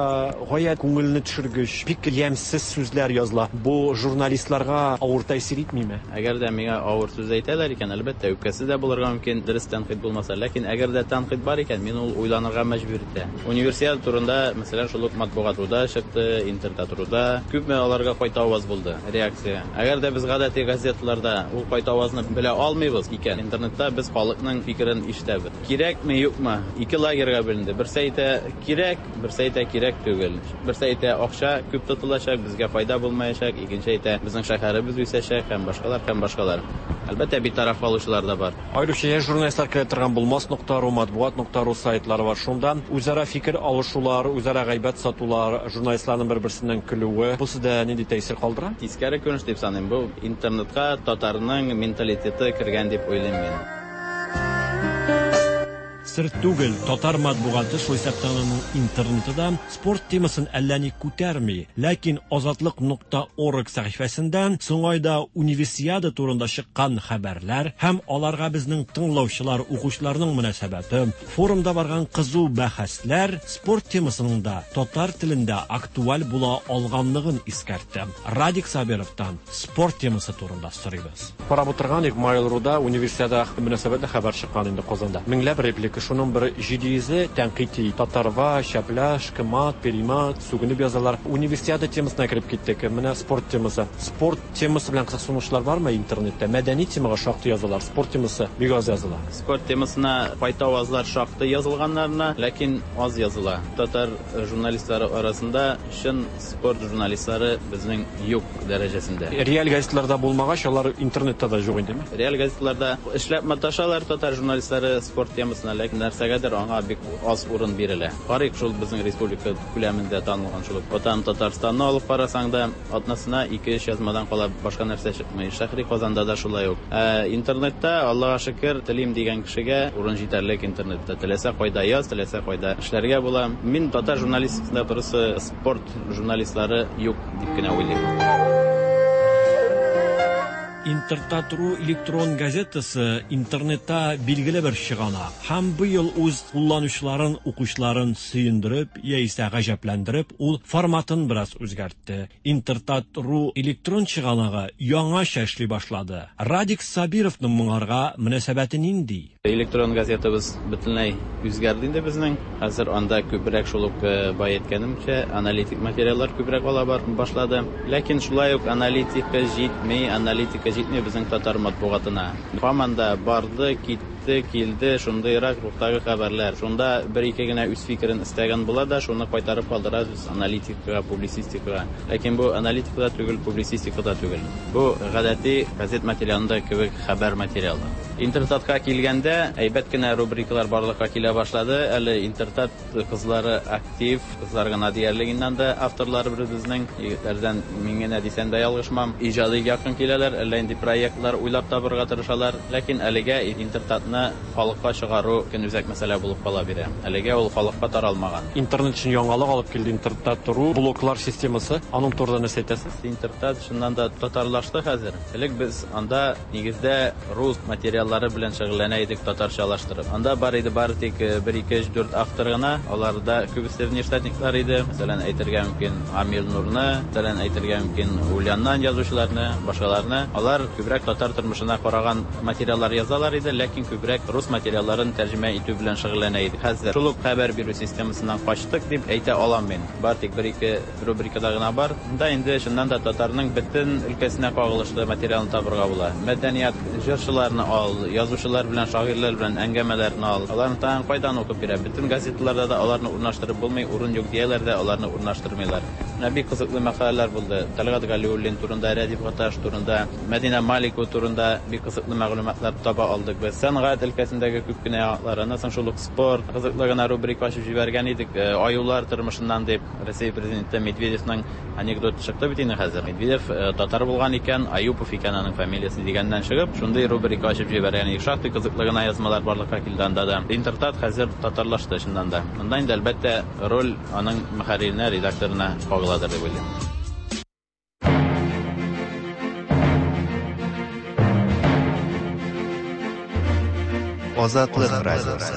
гаять күңелне төшергеч, бик ямьсез сүзләр языла. Бу журналистларга авыр тәэсир итмиме? Әгәр дә миңа авыр сүз әйтәләр икән, әлбәттә, үпкәсе дә булырга мөмкин, дөрес тәнкыйть булмаса. Ләкин әгәр дә тәнкыйть бар икән, мине ул уйланырга мәҗбүр итә. Универсиада турында, мәсәлән, шул ук Матбугат.руда чыкты, Интертат.руда. Күпме аларга кайтаваз булды, реакция. Әгәр дә без гадәти газеталарда ул кайтавазны белә алмыйбыз икән, интернетта без халыкның фикерен ишетәбез. Кирәкме, юкмы? Ике лагерьга бүленде. Берсе әйтә, кирәк, берсе әйтә, кирәк түгел. Берсе әйтә, акча күп тотылачак, безгә файда булмаячак, икенче әйтә, безнең шәһәребез үсәчәк һәм башкалар, һәм башкалар. Әлбәттә, битараф калучылар да бар. Аеруча яшь журналистлар керә торган Булмас нокта ру, Матбугат нокта ру сайтлары бар. Шунда үзара фикер алышулар, үзара гайбәт сатулар, журналистларның бер-берсеннән көлүе, бу сездә нинди тәэсир калдыра? Тискәре күренеш дип саныйм. Бу интернетка татарның менталитеты кергән дип уйлыйм мин. Сер түгел, татар матбугаты, шул исәптән аның интернеты да, спорт темасын әллә ни күтәрми. Ләкин Азатлык нокта орг сәхифәсендә соңгы айда Универсиада турында чыккан хәбәрләр һәм аларга безнең тыңлаучылар, укучыларның мөнәсәбәте, форумда барган кызу бәхәсләр спорт темасының да татар телендә актуаль була алганлыгын искәртте. Радик Сабировтан спорт темасы турында сорыйбыз. Карап утырган идек, Mail.ru-да Универсиада мөнәсәбәтле хәбәр чыккан инде Казанда. Меңләп реплика, шуның бер 700-е тәнкыйть. Татарва, шәпляш, кымат, перимат, сүгенеп язалар. Универсиада темасына кереп киттек. Менә спорт темасы. Спорт темасы белән кызыксынучылар бармы интернетта? Мәдәни темага шактый язалар, спорт темасы бик аз языла. Спорт темасына кайтавазлар шактый язылганнарына, ләкин аз языла. Татар журналистлары арасында чын спорт журналистлары безнең юк дәрәҗәсендә. Реаль газеталарда булмагач, алар интернетта да юк индеме? Реаль газеталарда эшләп маташалар татар журналистлары спорт темасына, ләкин нәрсәгәдер аңа бик аз урын бирелә. Карыйк, шул безнең республика күләмендә танылган шул ук Ватан Татарстанны алып карасаң да, атнасына ике-өч язмадан кала башка нәрсә чыкмый. Шәһри Казанда да шулай ук. Ә интернетта, Аллага шөкер, телим дигән кешегә урын җитәрлек интернетта. Теләсә кайда яз, теләсә кайда эшләргә була. Мин татар журналистикасында просто спорт журналистлары юк дип кенә уйлыйм. Интертат.ру электрон газетасы интернетта билгеле бер чыганак һәм быел үз кулланучыларын, укучыларын сөендереп яисә гаҗәпләндереп, ул форматын бераз үзгәртте. Интертат.ру электрон чыганагы яңача эшли башлады. Радик Сабировның моңарга мөнәсәбәте нинди? Электрон газетабыз бөтенләй үзгәрде инде безнең. Хәзер анда күбрәк шул ук э, бай әйткәнемчә, аналитик материаллар күбрәк ала башлады. Ләкин шулай ук аналитика җитми, аналитика җитми безнең татар матбугатына. Һаман да барды, китте, килде, шундыйрак рухтагы хәбәрләр. Шунда бер-ике генә үз фикерен эстәгән була да, шуны кайтарып калдырабыз аналитикага, публицистикага. Ләкин бу аналитика да түгел, публицистика да түгел. Бу гадәти газет материалында кебек хәбәр материалы. Интертатка килгәндә, әйбәт кенә рубрикалар барлыкка килә башлады. Әле Интертат кызлары актив, кызлар гына диярлек инде анда авторлары безнең. Егетләрдән мин генә дисәм дә ялгышмам. Иҗади якын киләләр, әллә инде проектлар уйлап табырга тырышалар. Ләкин әлегә Интертатны халыкка чыгару көнүзәк мәсьәлә булып кала бирә. Әлегә ул халыкка таралмаган. Интернет өчен яңалык алып килде Интертат.ру блоклар системасы. Аның турында нәрсә әйтәсез? Интертат чыннан да татарлашты хәзер. Элек без анда нигездә рус материаллары белән шөгыльләнә идек татарчалаштырып. Анда бар иде бары тик 1, 2, 3, 4 автор гына. Аларда күбесе внештатниклар иде. Мәсәлән, әйтергә мөмкин Амил Нурны, мәсәлән, әйтергә мөмкин Ульяннан язучыларны, башкаларны. Алар күбрәк татар тормышына караган материаллар язалар иде, ләкин күбрәк рус материалларын тәрҗемә итү белән шөгыльләнә идек. Хәзер шул ук хәбәр бирү системасыннан качтык дип әйтә алам мин. Бар тик бер-ике рубрикада гына бар. Монда инде чыннан да татарның бөтен өлкәсенә кагылышлы материалны табырга була. Мәдәният, җырчыларны ал, язучылар белән, шагыйрьләр белән әңгәмәләрне ал. Аларны тагын кайдан укып бирә? Бөтен газеталарда да аларны урнаштырып булмый, урын юк дияләр дә, аларны урнаштырмыйлар. Менә бик кызыклы мәкаләләр булды. Тәлгать Галиуллин турында, Рәдиф Гаташ турында, Мәдинә Маликова турында бик кызыклы мәгълүматлар таба алдык без. Сәнгать өлкәсендәге күп кенә яңалыклар, аннан соң шул ук спорт, кызыклы гына рубрика ачып җибәргән идек, аюлар тормышыннан дип. Россия президенты Медведевның анекдоты чыкты бит инде хәзер. Медведев татар булган икән, Аюпов икән аның фамилиясе дигәннән чыгып, шундый рубрика ачып җибәргән идек. Шактый кызыклы гына язмалар барлыкка килде анда да. Интертат хәзер татарлашты чыннан да. Монда инде, әлбәттә, роль аның мөхәрриренә, редакторына кагыладыр дип уйлыйм. Азатлык радиосы.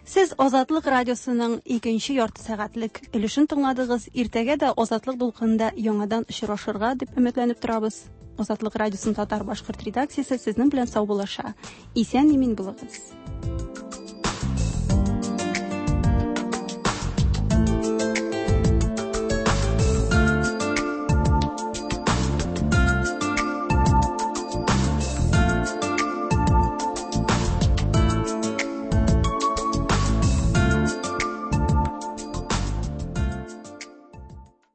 Сез Азатлык радиосының икенче ярты сәгатьлек өлешен тыңладыгыз. Иртәгә дә Азатлык дулкынында яңадан очрашырга дип өметләнеп торабыз. Азатлык радиосының татар-башкорт редакциясе сезнең белән саубуллаша. Исән-имин булыгыз.